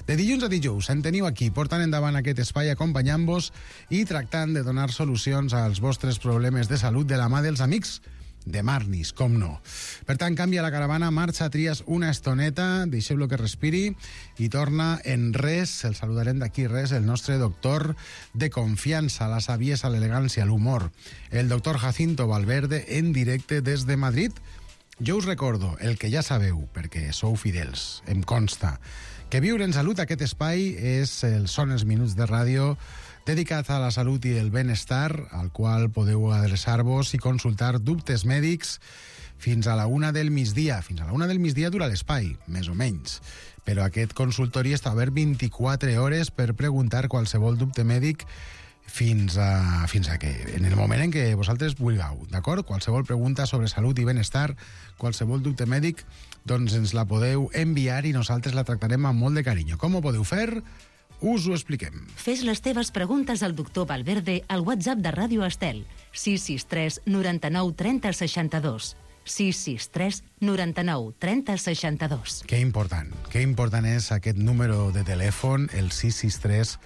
De dilluns a dijous en teniu aquí, portant endavant aquest espai, acompanyant-vos i tractant de donar solucions als vostres problemes de salut de la mà dels amics de Marnis, com no. Per tant, canvia la caravana, marxa Trias una estoneta, deixeu-lo que respiri i torna en res, el saludarem d'aquí res, el nostre doctor de confiança, la saviesa, l'elegància, l'humor, el doctor Jacinto Valverde, en directe des de Madrid, Jo us recordo el que ja sabeu, perquè sou fidels, em consta, que Viure en Salut, aquest espai, són els minuts de ràdio dedicat a la salut i el benestar, al qual podeu adreçar-vos i consultar dubtes mèdics fins a la 1 del migdia. Fins a la 1 del migdia dura l'espai, més o menys. Però aquest consultori està obert 24 hores per preguntar qualsevol dubte mèdic fins a que, en el moment en què vosaltres vulgueu, d'acord? Qualsevol pregunta sobre salut i benestar, qualsevol dubte mèdic, doncs ens la podeu enviar i nosaltres la tractarem amb molt de carinyo. Com ho podeu fer? Us ho expliquem. Fes les teves preguntes al doctor Valverde al WhatsApp de Ràdio Estel, 663 99 30 62. 663 99 30 62. Que important és aquest número de telèfon, el 663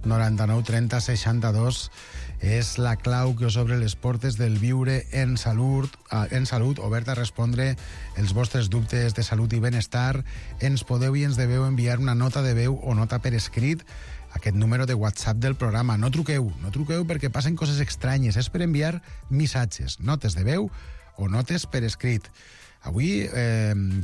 99 30 62. És la clau que us obre les portes del Viure en Salut, obert a respondre els vostres dubtes de salut i benestar. Ens podeu i ens deveu enviar una nota de veu o nota per escrit a aquest número de WhatsApp del programa. No truqueu perquè passen coses estranyes. És per enviar missatges, notes de veu o notes per escrit. Avui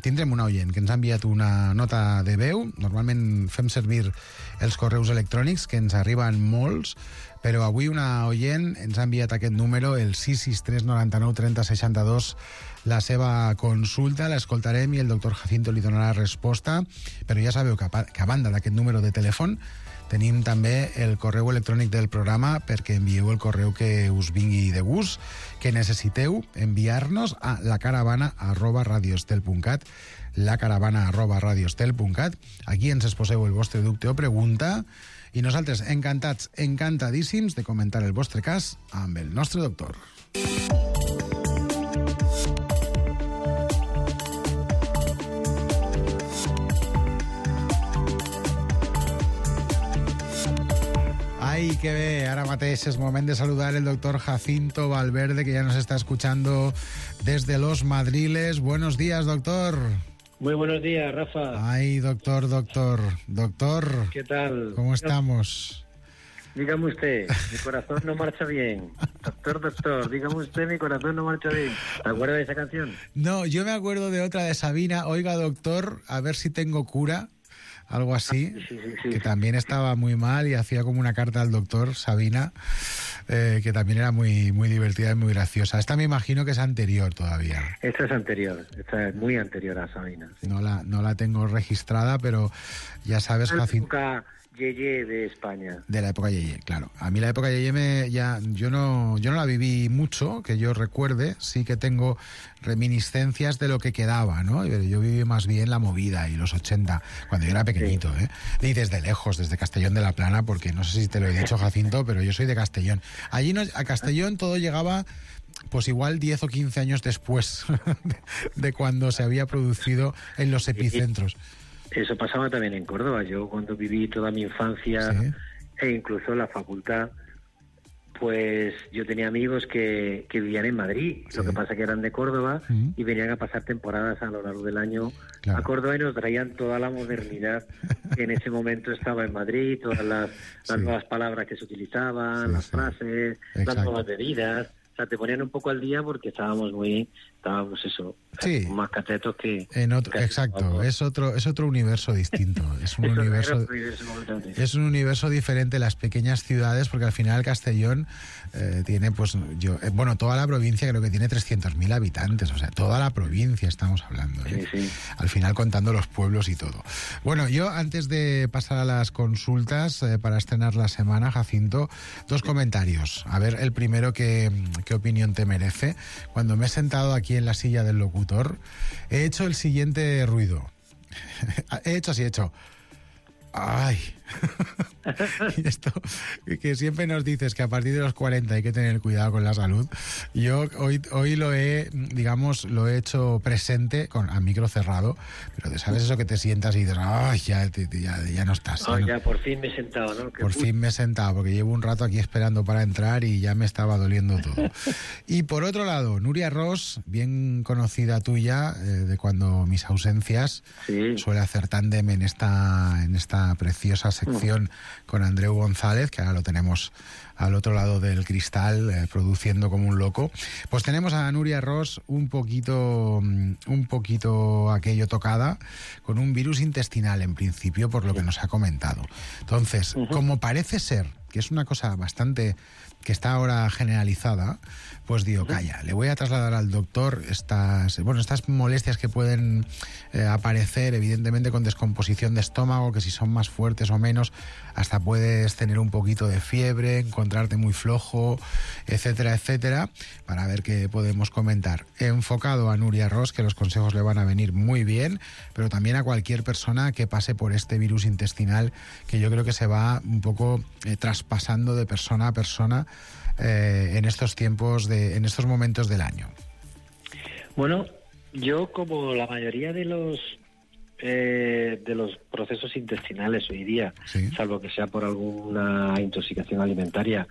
tindrem una oient que ens ha enviat una nota de veu. Normalment fem servir els correus electrònics, que ens arriben molts, però avui una oient ens ha enviat aquest número, el 663 99 30 62, la seva consulta, l'escoltarem i el doctor Jacinto li donarà resposta. Però ja sabeu que a banda d'aquest número de telèfon tenim també el correu electrònic del programa perquè envieu el correu que us vingui de gust, que necessiteu enviar-nos a lacaravana@radioestel.cat, lacaravana@radioestel.cat. Aquí ens exposeu el vostre dubte o pregunta i nosaltres encantats, encantadíssims de comentar el vostre cas amb el nostre doctor. Ay, qué bé, ara mateix és moment de saludar el doctor Jacinto Valverde, que ya nos está escuchando desde Los Madriles. Buenos días, doctor. Muy buenos días, Rafa. Ay, doctor. ¿Qué tal? ¿Cómo estamos? Dígame usted, mi corazón no marcha bien. Doctor, dígame usted, mi corazón no marcha bien. ¿Te acuerdas de esa canción? No, yo me acuerdo de otra de Sabina, oiga, doctor, a ver si tengo cura. Algo así, sí, que también estaba muy mal y hacía como una carta al doctor, Sabina, que también era muy, muy divertida y muy graciosa. Esta me imagino que es anterior todavía. Esta es anterior, esta es muy anterior a Sabina. Sí. No la tengo registrada, pero ya sabes, Jacinto. Yeye de España. De la época Yeye, claro. A mí la época Yeye yo no la viví mucho, que yo recuerde. Sí que tengo reminiscencias de lo que quedaba, ¿no? Yo viví más bien la movida y los 80, cuando yo era pequeñito, sí. Y desde lejos, desde Castellón de la Plana, porque no sé si te lo he dicho, Jacinto, pero yo soy de Castellón. Allí a Castellón todo llegaba pues igual 10 o 15 años después de cuando se había producido en los epicentros. Eso pasaba también en Córdoba. Yo cuando viví toda mi infancia, sí, e incluso la facultad, pues yo tenía amigos que vivían en Madrid. Sí. Lo que pasa que eran de Córdoba y venían a pasar temporadas a lo largo del año, claro, a Córdoba, y nos traían toda la modernidad que en ese momento estaba en Madrid, todas las nuevas palabras que se utilizaban, las frases, las nuevas bebidas. O sea, te ponían un poco al día porque estábamos más catetos que... Exacto, es otro universo distinto. Es un universo diferente las pequeñas ciudades, porque al final Castellón tiene, toda la provincia creo que tiene 300.000 habitantes, o sea, toda la provincia estamos hablando, ¿eh? Sí. Al final contando los pueblos y todo. Bueno, yo antes de pasar a las consultas para estrenar la semana, Jacinto, dos comentarios. A ver, el primero, ¿qué opinión te merece? Cuando me he sentado aquí en la silla del locutor, he hecho el siguiente ruido. He hecho. ¡Ay! Y esto, que siempre nos dices que a partir de los 40 hay que tener cuidado con la salud. Yo hoy lo he hecho presente a micro cerrado, pero ¿sabes eso que te sientas y dices, ¡ay, ya no estás! Ya por fin me he sentado, ¿no? Por fin me he sentado, porque llevo un rato aquí esperando para entrar y ya me estaba doliendo todo. Y por otro lado, Nuria Ross, bien conocida tuya, de cuando mis ausencias, sí, suele hacer tándem en esta preciosa sección con Andreu González, que ahora lo tenemos al otro lado del cristal, produciendo como un loco. Pues tenemos a Núria Ros un poquito aquello tocada, con un virus intestinal en principio, por lo que nos ha comentado. Entonces, como parece ser, que es una cosa bastante que está ahora generalizada, pues digo, calla, le voy a trasladar al doctor estas molestias que pueden aparecer, evidentemente con descomposición de estómago, que si son más fuertes o menos, hasta puedes tener un poquito de fiebre, encontrarte muy flojo, etcétera, etcétera, para ver qué podemos comentar. He enfocado a Núria Ros, que los consejos le van a venir muy bien, pero también a cualquier persona que pase por este virus intestinal, que yo creo que se va un poco traspasando de persona a persona en estos tiempos, en estos momentos del año. Bueno, yo, como la mayoría de los procesos intestinales hoy día, salvo que sea por alguna intoxicación alimentaria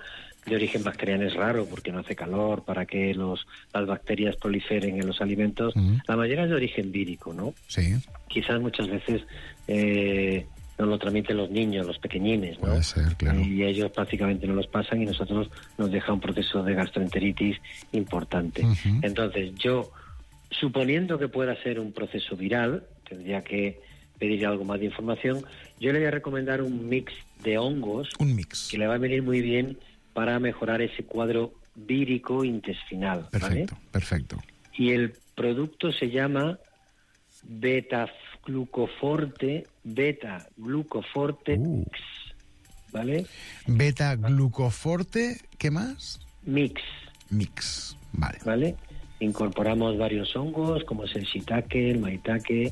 de origen bacteriano, es raro porque no hace calor para que las bacterias proliferen en los alimentos, la mayoría es de origen vírico, ¿no? Sí. Quizás muchas veces nos lo transmiten los niños, los pequeñines, ¿no? Puede ser, claro. Y ellos prácticamente no los pasan y nosotros nos deja un proceso de gastroenteritis importante. Entonces, yo, suponiendo que pueda ser un proceso viral, tendría que pedir algo más de información. Yo le voy a recomendar un mix de hongos, que le va a venir muy bien para mejorar ese cuadro vírico intestinal. Perfecto, ¿vale? Perfecto. Y el producto se llama Beta-Glucoforte Mix, ¿vale? Beta-Glucoforte, ¿qué más? Mix, vale. ¿Vale? Incorporamos varios hongos, como es el shiitake, el maitake,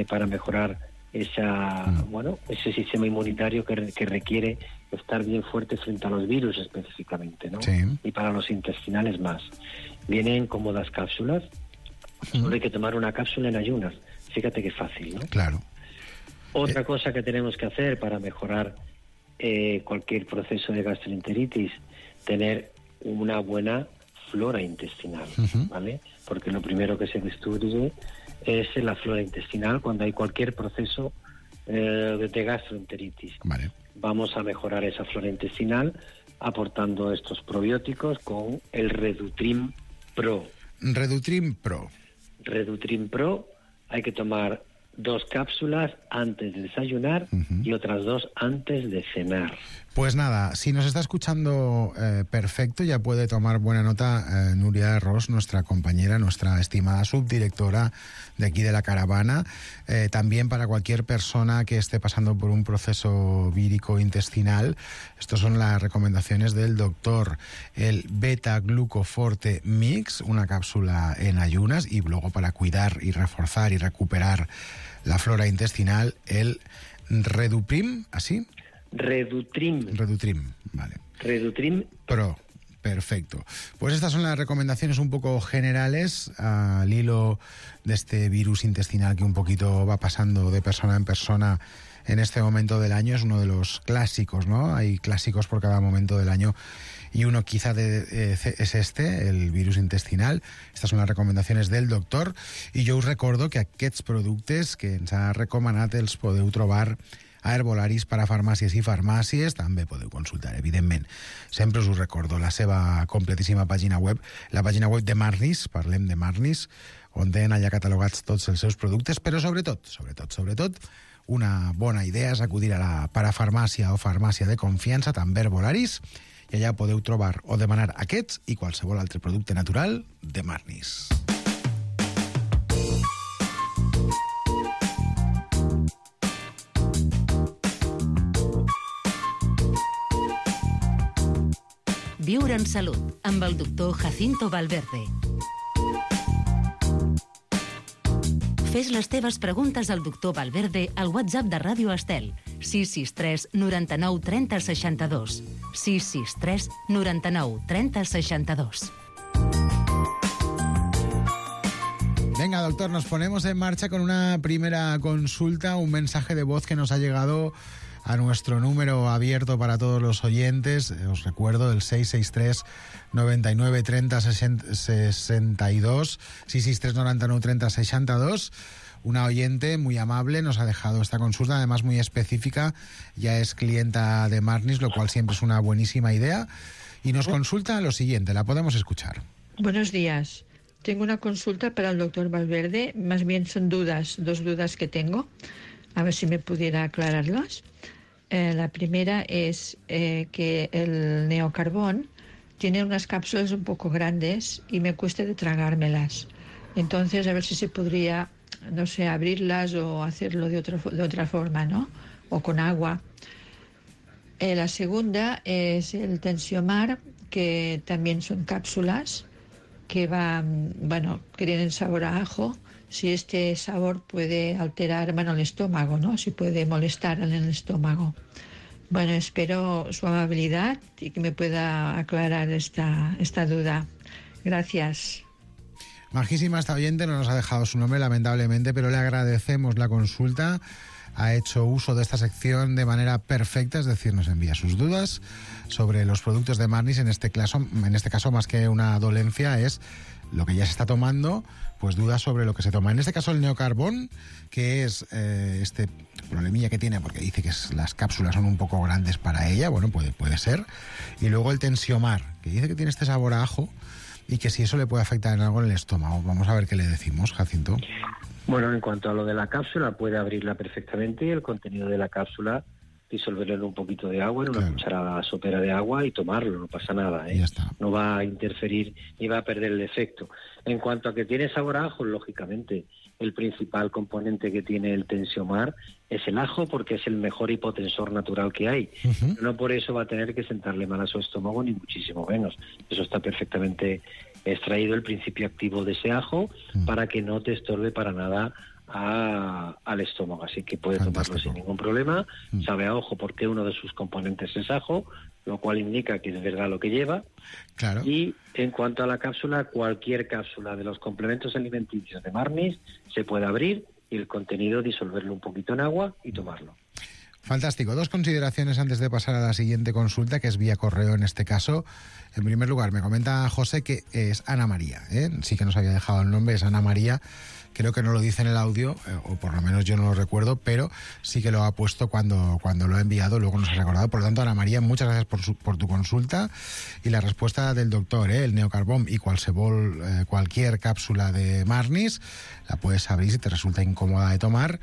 para mejorar ese sistema inmunitario que requiere estar bien fuerte frente a los virus específicamente, ¿no? Sí. Y para los intestinales más. Vienen cómodas cápsulas. Solo hay que tomar una cápsula en ayunas. Fíjate qué fácil, ¿no? Claro. Otra cosa que tenemos que hacer para mejorar cualquier proceso de gastroenteritis, tener una buena flora intestinal, ¿vale? Porque lo primero que se destruye es la flora intestinal cuando hay cualquier proceso de gastroenteritis. Vale. Vamos a mejorar esa flora intestinal aportando estos probióticos con el Redutrim Pro. Redutrim Pro, hay que tomar 2 cápsulas antes de desayunar y otras 2 antes de cenar. Pues nada, si nos está escuchando perfecto, ya puede tomar buena nota Núria Ros, nuestra compañera, nuestra estimada subdirectora de aquí de la caravana. También para cualquier persona que esté pasando por un proceso vírico intestinal, estas son las recomendaciones del doctor. El Beta-Glucoforte Mix, una cápsula en ayunas, y luego para cuidar y reforzar y recuperar la flora intestinal, el Redutrim, ¿así? Redutrim, vale. Redutrim Pro, perfecto. Pues estas son las recomendaciones un poco generales al hilo de este virus intestinal que un poquito va pasando de persona en persona en este momento del año. Es uno de los clásicos, ¿no? Hay clásicos por cada momento del año y uno quizá es el virus intestinal. Estas son las recomendacions del doctor i jo us recordo que aquests productes que ens ha recomanat els podeu trobar a Herbolaris per a farmàcies i farmàcies. També podeu consultar, evidentment. Sempre us ho recordo, la seva completíssima pàgina web, la pàgina web de Marnis, parlem de Marnis, on tenen allà catalogats tots els seus productes, però sobretot, una bona idea és acudir a la parafarmàcia o farmàcia de confiança, també Herbolaris, i allà podeu trobar o demanar aquests i qualsevol altre producte natural de Marnis. Viure en salut, amb el doctor Jacinto Valverde. Fes les teves preguntes al doctor Valverde al WhatsApp de Ràdio Estel, 663 99 30 62. 663 99 30 62. Venga, doctor, nos ponemos en marcha con una primera consulta, un mensaje de voz que nos ha llegado a nuestro número abierto para todos los oyentes. Os recuerdo, el 663 99 30 62, 663 99 30 62. Una oyente muy amable nos ha dejado esta consulta, además muy específica, ya es clienta de Marnis, lo cual siempre es una buenísima idea, y nos consulta lo siguiente, la podemos escuchar. Buenos días. Tengo una consulta para el doctor Valverde, más bien son dos dudas que tengo, a ver si me pudiera aclararlas. La primera es que el neocarbón tiene unas cápsulas un poco grandes y me cuesta de tragármelas. Entonces, a ver si se podría, no sé, abrirlas o hacerlo de otra forma, ¿no? O con agua. La segunda es el Tensiomar, que también son cápsulas que que tienen sabor a ajo. Si este sabor puede alterar, el estómago, ¿no? Si puede molestar en el estómago. Bueno, espero su amabilidad y que me pueda aclarar esta duda. Gracias. Majísima esta oyente, no nos ha dejado su nombre, lamentablemente, pero le agradecemos la consulta. Ha hecho uso de esta sección de manera perfecta, es decir, nos envía sus dudas sobre los productos de Marnis. En este caso, más que una dolencia, es lo que ya se está tomando, pues dudas sobre lo que se toma. En este caso el neocarbón, que es este problemilla que tiene, porque dice que las cápsulas son un poco grandes para ella, bueno, puede ser. Y luego el Tensiomar, que dice que tiene este sabor a ajo y que si eso le puede afectar en algo en el estómago. Vamos a ver qué le decimos, Jacinto. Bueno, en cuanto a lo de la cápsula, puede abrirla perfectamente y el contenido de la cápsula disolverlo en un poquito de agua, en una cucharada sopera de agua y tomarlo, no pasa nada, ¿eh? Ya está. No va a interferir ni va a perder el efecto. En cuanto a que tiene sabor a ajo, lógicamente, el principal componente que tiene el Tensiomar es el ajo, porque es el mejor hipotensor natural que hay. No por eso va a tener que sentarle mal a su estómago, ni muchísimo menos. Eso está perfectamente extraído, el principio activo de ese ajo, para que no te estorbe para nada al estómago, así que puede tomarlo sin ningún problema. Sabe a ajo porque uno de sus componentes es ajo, lo cual indica que es verdad lo que lleva. Claro. Y en cuanto a la cápsula, cualquier cápsula de los complementos alimenticios de Marnis se puede abrir y el contenido disolverlo un poquito en agua y tomarlo. Fantástico. 2 consideraciones antes de pasar a la siguiente consulta, que es vía correo en este caso. En primer lugar, me comenta José que es Ana María, ¿eh? Sí que nos había dejado el nombre, es Ana María. Creo que no lo dice en el audio, o por lo menos yo no lo recuerdo, pero sí que lo ha puesto cuando lo ha enviado, luego nos ha recordado. Por lo tanto, Ana María, muchas gracias por tu consulta. Y la respuesta del doctor, el neocarbón y cualquier cápsula de Marnis, la puedes abrir si te resulta incómoda de tomar.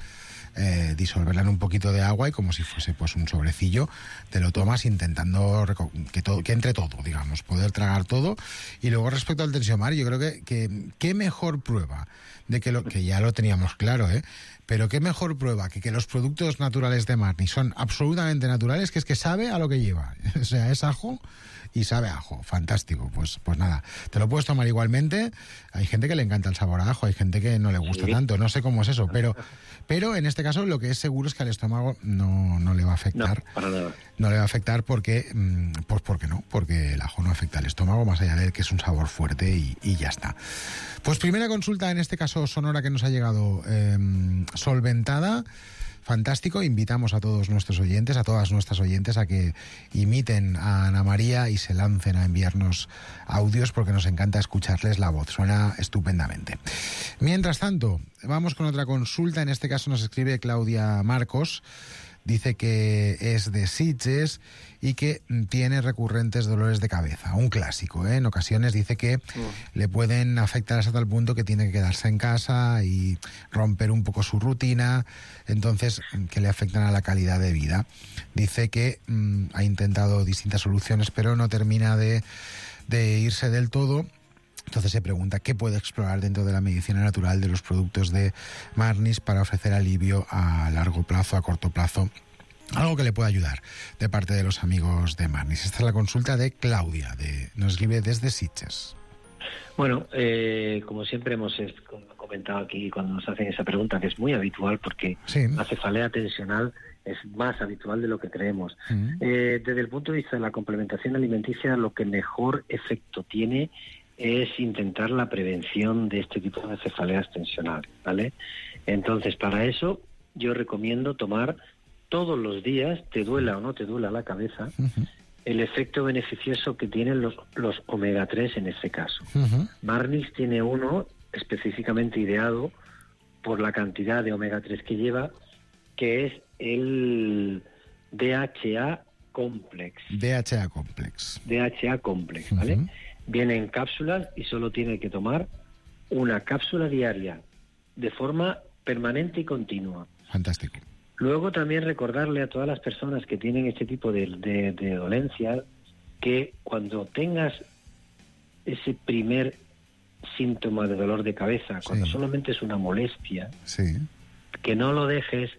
Disolverla en un poquito de agua y como si fuese pues un sobrecillo, te lo tomas intentando que entre todo, digamos, poder tragar todo. Y luego respecto al Tensiomar, yo creo que qué mejor prueba de que ya lo teníamos claro, pero qué mejor prueba que los productos naturales de Marnis son absolutamente naturales, que es que sabe a lo que lleva. O sea, es ajo y sabe a ajo. Fantástico. Pues nada, te lo puedes tomar igualmente. Hay gente que le encanta el sabor a ajo, hay gente que no le gusta tanto, no sé cómo es eso, pero en este caso lo que es seguro es que al estómago no le va a afectar. No, para nada. No le va a afectar porque el ajo no afecta al estómago, más allá de que es un sabor fuerte y ya está. Pues primera consulta, en este caso sonora, que nos ha llegado solventada. Fantástico, invitamos a todos nuestros oyentes, a todas nuestras oyentes, a que imiten a Ana María y se lancen a enviarnos audios, porque nos encanta escucharles la voz, suena estupendamente. Mientras tanto, vamos con otra consulta, en este caso nos escribe Claudia Marcos. Dice que es de Sitges y que tiene recurrentes dolores de cabeza. Un clásico, ¿eh? En ocasiones dice que le pueden afectar hasta tal punto que tiene que quedarse en casa y romper un poco su rutina, entonces que le afectan a la calidad de vida. Dice que ha intentado distintas soluciones, pero no termina de irse del todo. Entonces se pregunta qué puede explorar dentro de la medicina natural de los productos de Marnis para ofrecer alivio a largo plazo, a corto plazo, algo que le pueda ayudar de parte de los amigos de Marnis. Esta es la consulta de Claudia, nos escribe desde Sitges. Bueno, como siempre hemos comentado aquí cuando nos hacen esa pregunta, que es muy habitual porque la cefalea tensional es más habitual de lo que creemos. Desde el punto de vista de la complementación alimenticia, lo que mejor efecto tiene es intentar la prevención de este tipo de cefaleas tensionales, ¿vale? Entonces, para eso yo recomiendo tomar todos los días, te duela o no te duela la cabeza, el efecto beneficioso que tienen los omega 3 en este caso. Marnis tiene uno específicamente ideado por la cantidad de omega 3 que lleva, que es el DHA Complex. DHA Complex. DHA Complex, ¿vale? Viene en cápsulas y solo tiene que tomar una cápsula diaria de forma permanente y continua. Fantástico. Luego también recordarle a todas las personas que tienen este tipo de dolencias que cuando tengas ese primer síntoma de dolor de cabeza, cuando solamente es una molestia, que no lo dejes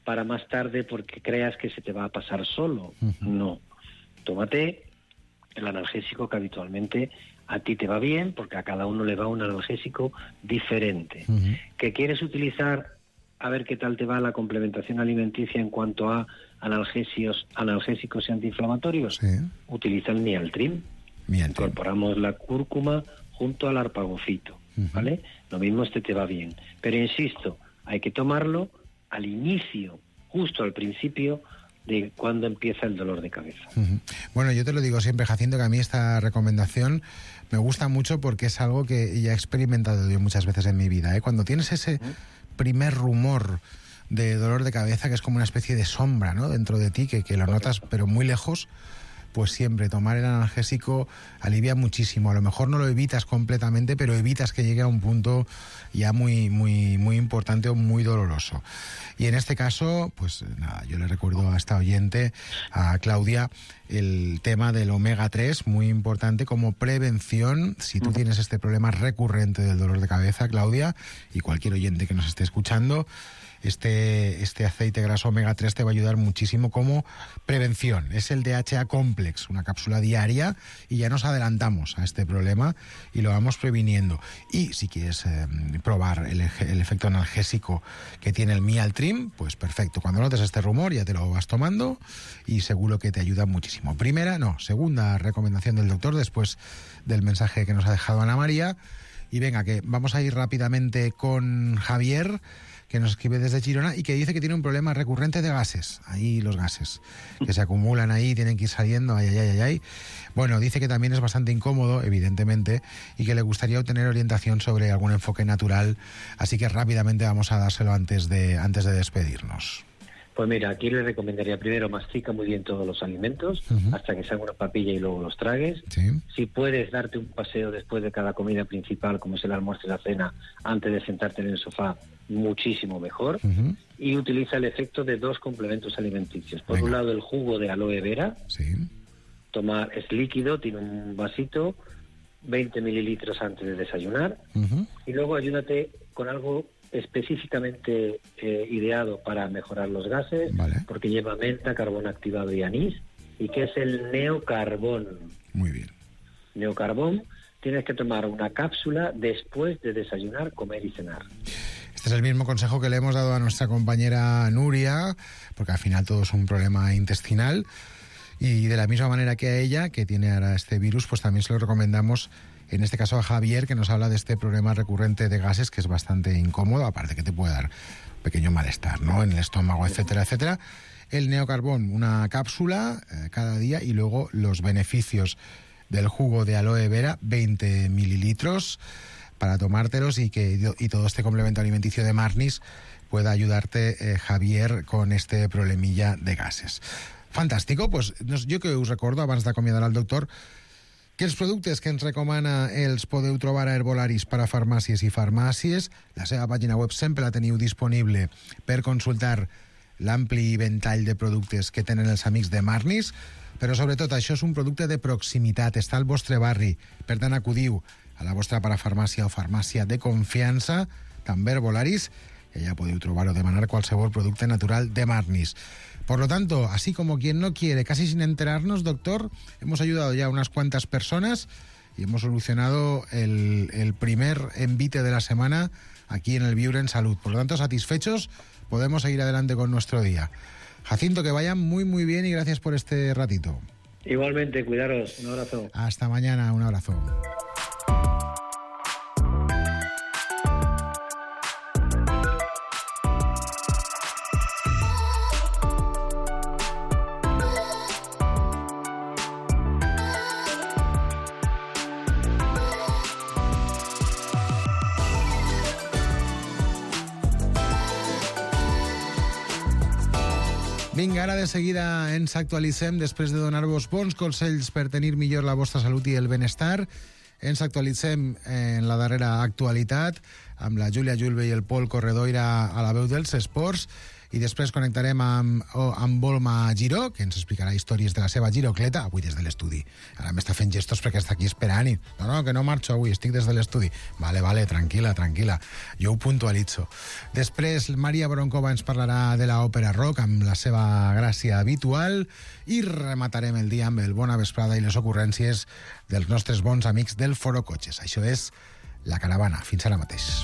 para más tarde porque creas que se te va a pasar solo. No. Tómate el analgésico que habitualmente a ti te va bien, porque a cada uno le va un analgésico diferente. ¿Que quieres utilizar? A ver qué tal te va la complementación alimenticia en cuanto a analgésicos y antiinflamatorios. Utiliza el Mialtrim. Incorporamos la cúrcuma junto al arpagofito, ¿vale? Lo mismo te va bien. Pero insisto, hay que tomarlo al inicio, justo al principio de cuando empieza el dolor de cabeza. Bueno, yo te lo digo siempre, Jacinto, que a mí esta recomendación me gusta mucho porque es algo que ya he experimentado yo muchas veces en mi vida, ¿eh? Cuando tienes ese primer rumor de dolor de cabeza, que es como una especie de sombra, ¿no?, dentro de ti, que lo notas pero muy lejos, pues siempre tomar el analgésico alivia muchísimo. A lo mejor no lo evitas completamente, pero evitas que llegue a un punto ya muy, muy, muy importante o muy doloroso. Y en este caso, pues nada, yo le recuerdo a esta oyente, a Claudia, el tema del omega 3, muy importante como prevención. Si tú tienes este problema recurrente del dolor de cabeza, Claudia, y cualquier oyente que nos esté escuchando, este aceite graso omega 3 te va a ayudar muchísimo como prevención. Es el DHA Complex, una cápsula diaria, y ya nos adelantamos a este problema y lo vamos previniendo. Y si quieres probar el efecto analgésico que tiene el Mialtrim, pues perfecto. Cuando notes este rumor ya te lo vas tomando y seguro que te ayuda muchísimo. Segunda recomendación del doctor después del mensaje que nos ha dejado Ana María. Y venga, que vamos a ir rápidamente con Javier, que nos escribe desde Girona y que dice que tiene un problema recurrente de gases. Ahí los gases que se acumulan ahí, tienen que ir saliendo, ay. Bueno, dice que también es bastante incómodo, evidentemente, y que le gustaría obtener orientación sobre algún enfoque natural, así que rápidamente vamos a dárselo antes de despedirnos. Pues mira, aquí le recomendaría primero mastica muy bien todos los alimentos hasta que se haga una papilla y luego los tragues. Si puedes darte un paseo después de cada comida principal, como es el almuerzo y la cena, antes de sentarte en el sofá, muchísimo mejor. Y utiliza el efecto de 2 complementos alimenticios. Por un lado, el jugo de aloe vera. Es líquido, tiene un vasito, 20 mililitros antes de desayunar. Y luego ayúdate con algo específicamente ideado para mejorar los gases, porque lleva menta, carbón activado y anís, y que es el neocarbón. Muy bien. Neocarbón, tienes que tomar una cápsula después de desayunar, comer y cenar. Este es el mismo consejo que le hemos dado a nuestra compañera Nuria, porque al final todo es un problema intestinal, y de la misma manera que a ella, que tiene ahora este virus, pues también se lo recomendamos, en este caso a Javier, que nos habla de este problema recurrente de gases, que es bastante incómodo, aparte que te puede dar pequeño malestar, ¿no?, en el estómago, etcétera, etcétera. El neocarbón, una cápsula cada día, y luego los beneficios del jugo de aloe vera, 20 mililitros, para tomártelos y todo este complemento alimenticio de Marnis pueda ayudarte, Javier, con este problemilla de gases. Fantàstico, pues jo que us recordo, abans d'acomiadar el doctor, que els productes que ens recomana els podeu trobar a Herbolaris per a farmàcies i farmàcies. La seva pàgina web sempre la teniu disponible per consultar l'ampli ventall de productes que tenen els amics de Marnis, però sobretot això és un producte de proximitat, està al vostre barri, per tant acudiu a la vostra parafarmàcia o farmàcia de confiança, també Herbolaris, y allá podéis trobar o demanar cualquier producto natural de Marnis. Por lo tanto, así como quien no quiere, casi sin enterarnos, doctor, hemos ayudado ya a unas cuantas personas y hemos solucionado el primer envite de la semana aquí en el Viure en Salud. Por lo tanto, satisfechos, podemos seguir adelante con nuestro día. Jacinto, que vayan muy, muy bien y gracias por este ratito. Igualmente, cuidaros. Un abrazo. Hasta mañana, un abrazo. Vinga, ara de seguida ens actualitzem després de donar-vos bons consells per tenir millor la vostra salut i el benestar. Ens actualitzem en la darrera actualitat amb la Júlia Julve i el Pol Corredoira a la veu dels esports i després connectarem amb Volma Giró, que ens explicarà històries de la seva girocleta, avui des de l'estudi. Ara m'està fent gestos perquè està aquí esperant i... No, que no marxo avui, estic des de l'estudi. Vale, tranquil·la. Jo ho puntualitzo. Després, Maria Broncova ens parlarà de l'òpera rock amb la seva gràcia habitual i rematarem el dia amb el Bona Vesprada i les ocurrències dels nostres bons amics del Foro Cotxes. Això és La Caravana. Fins ara mateix.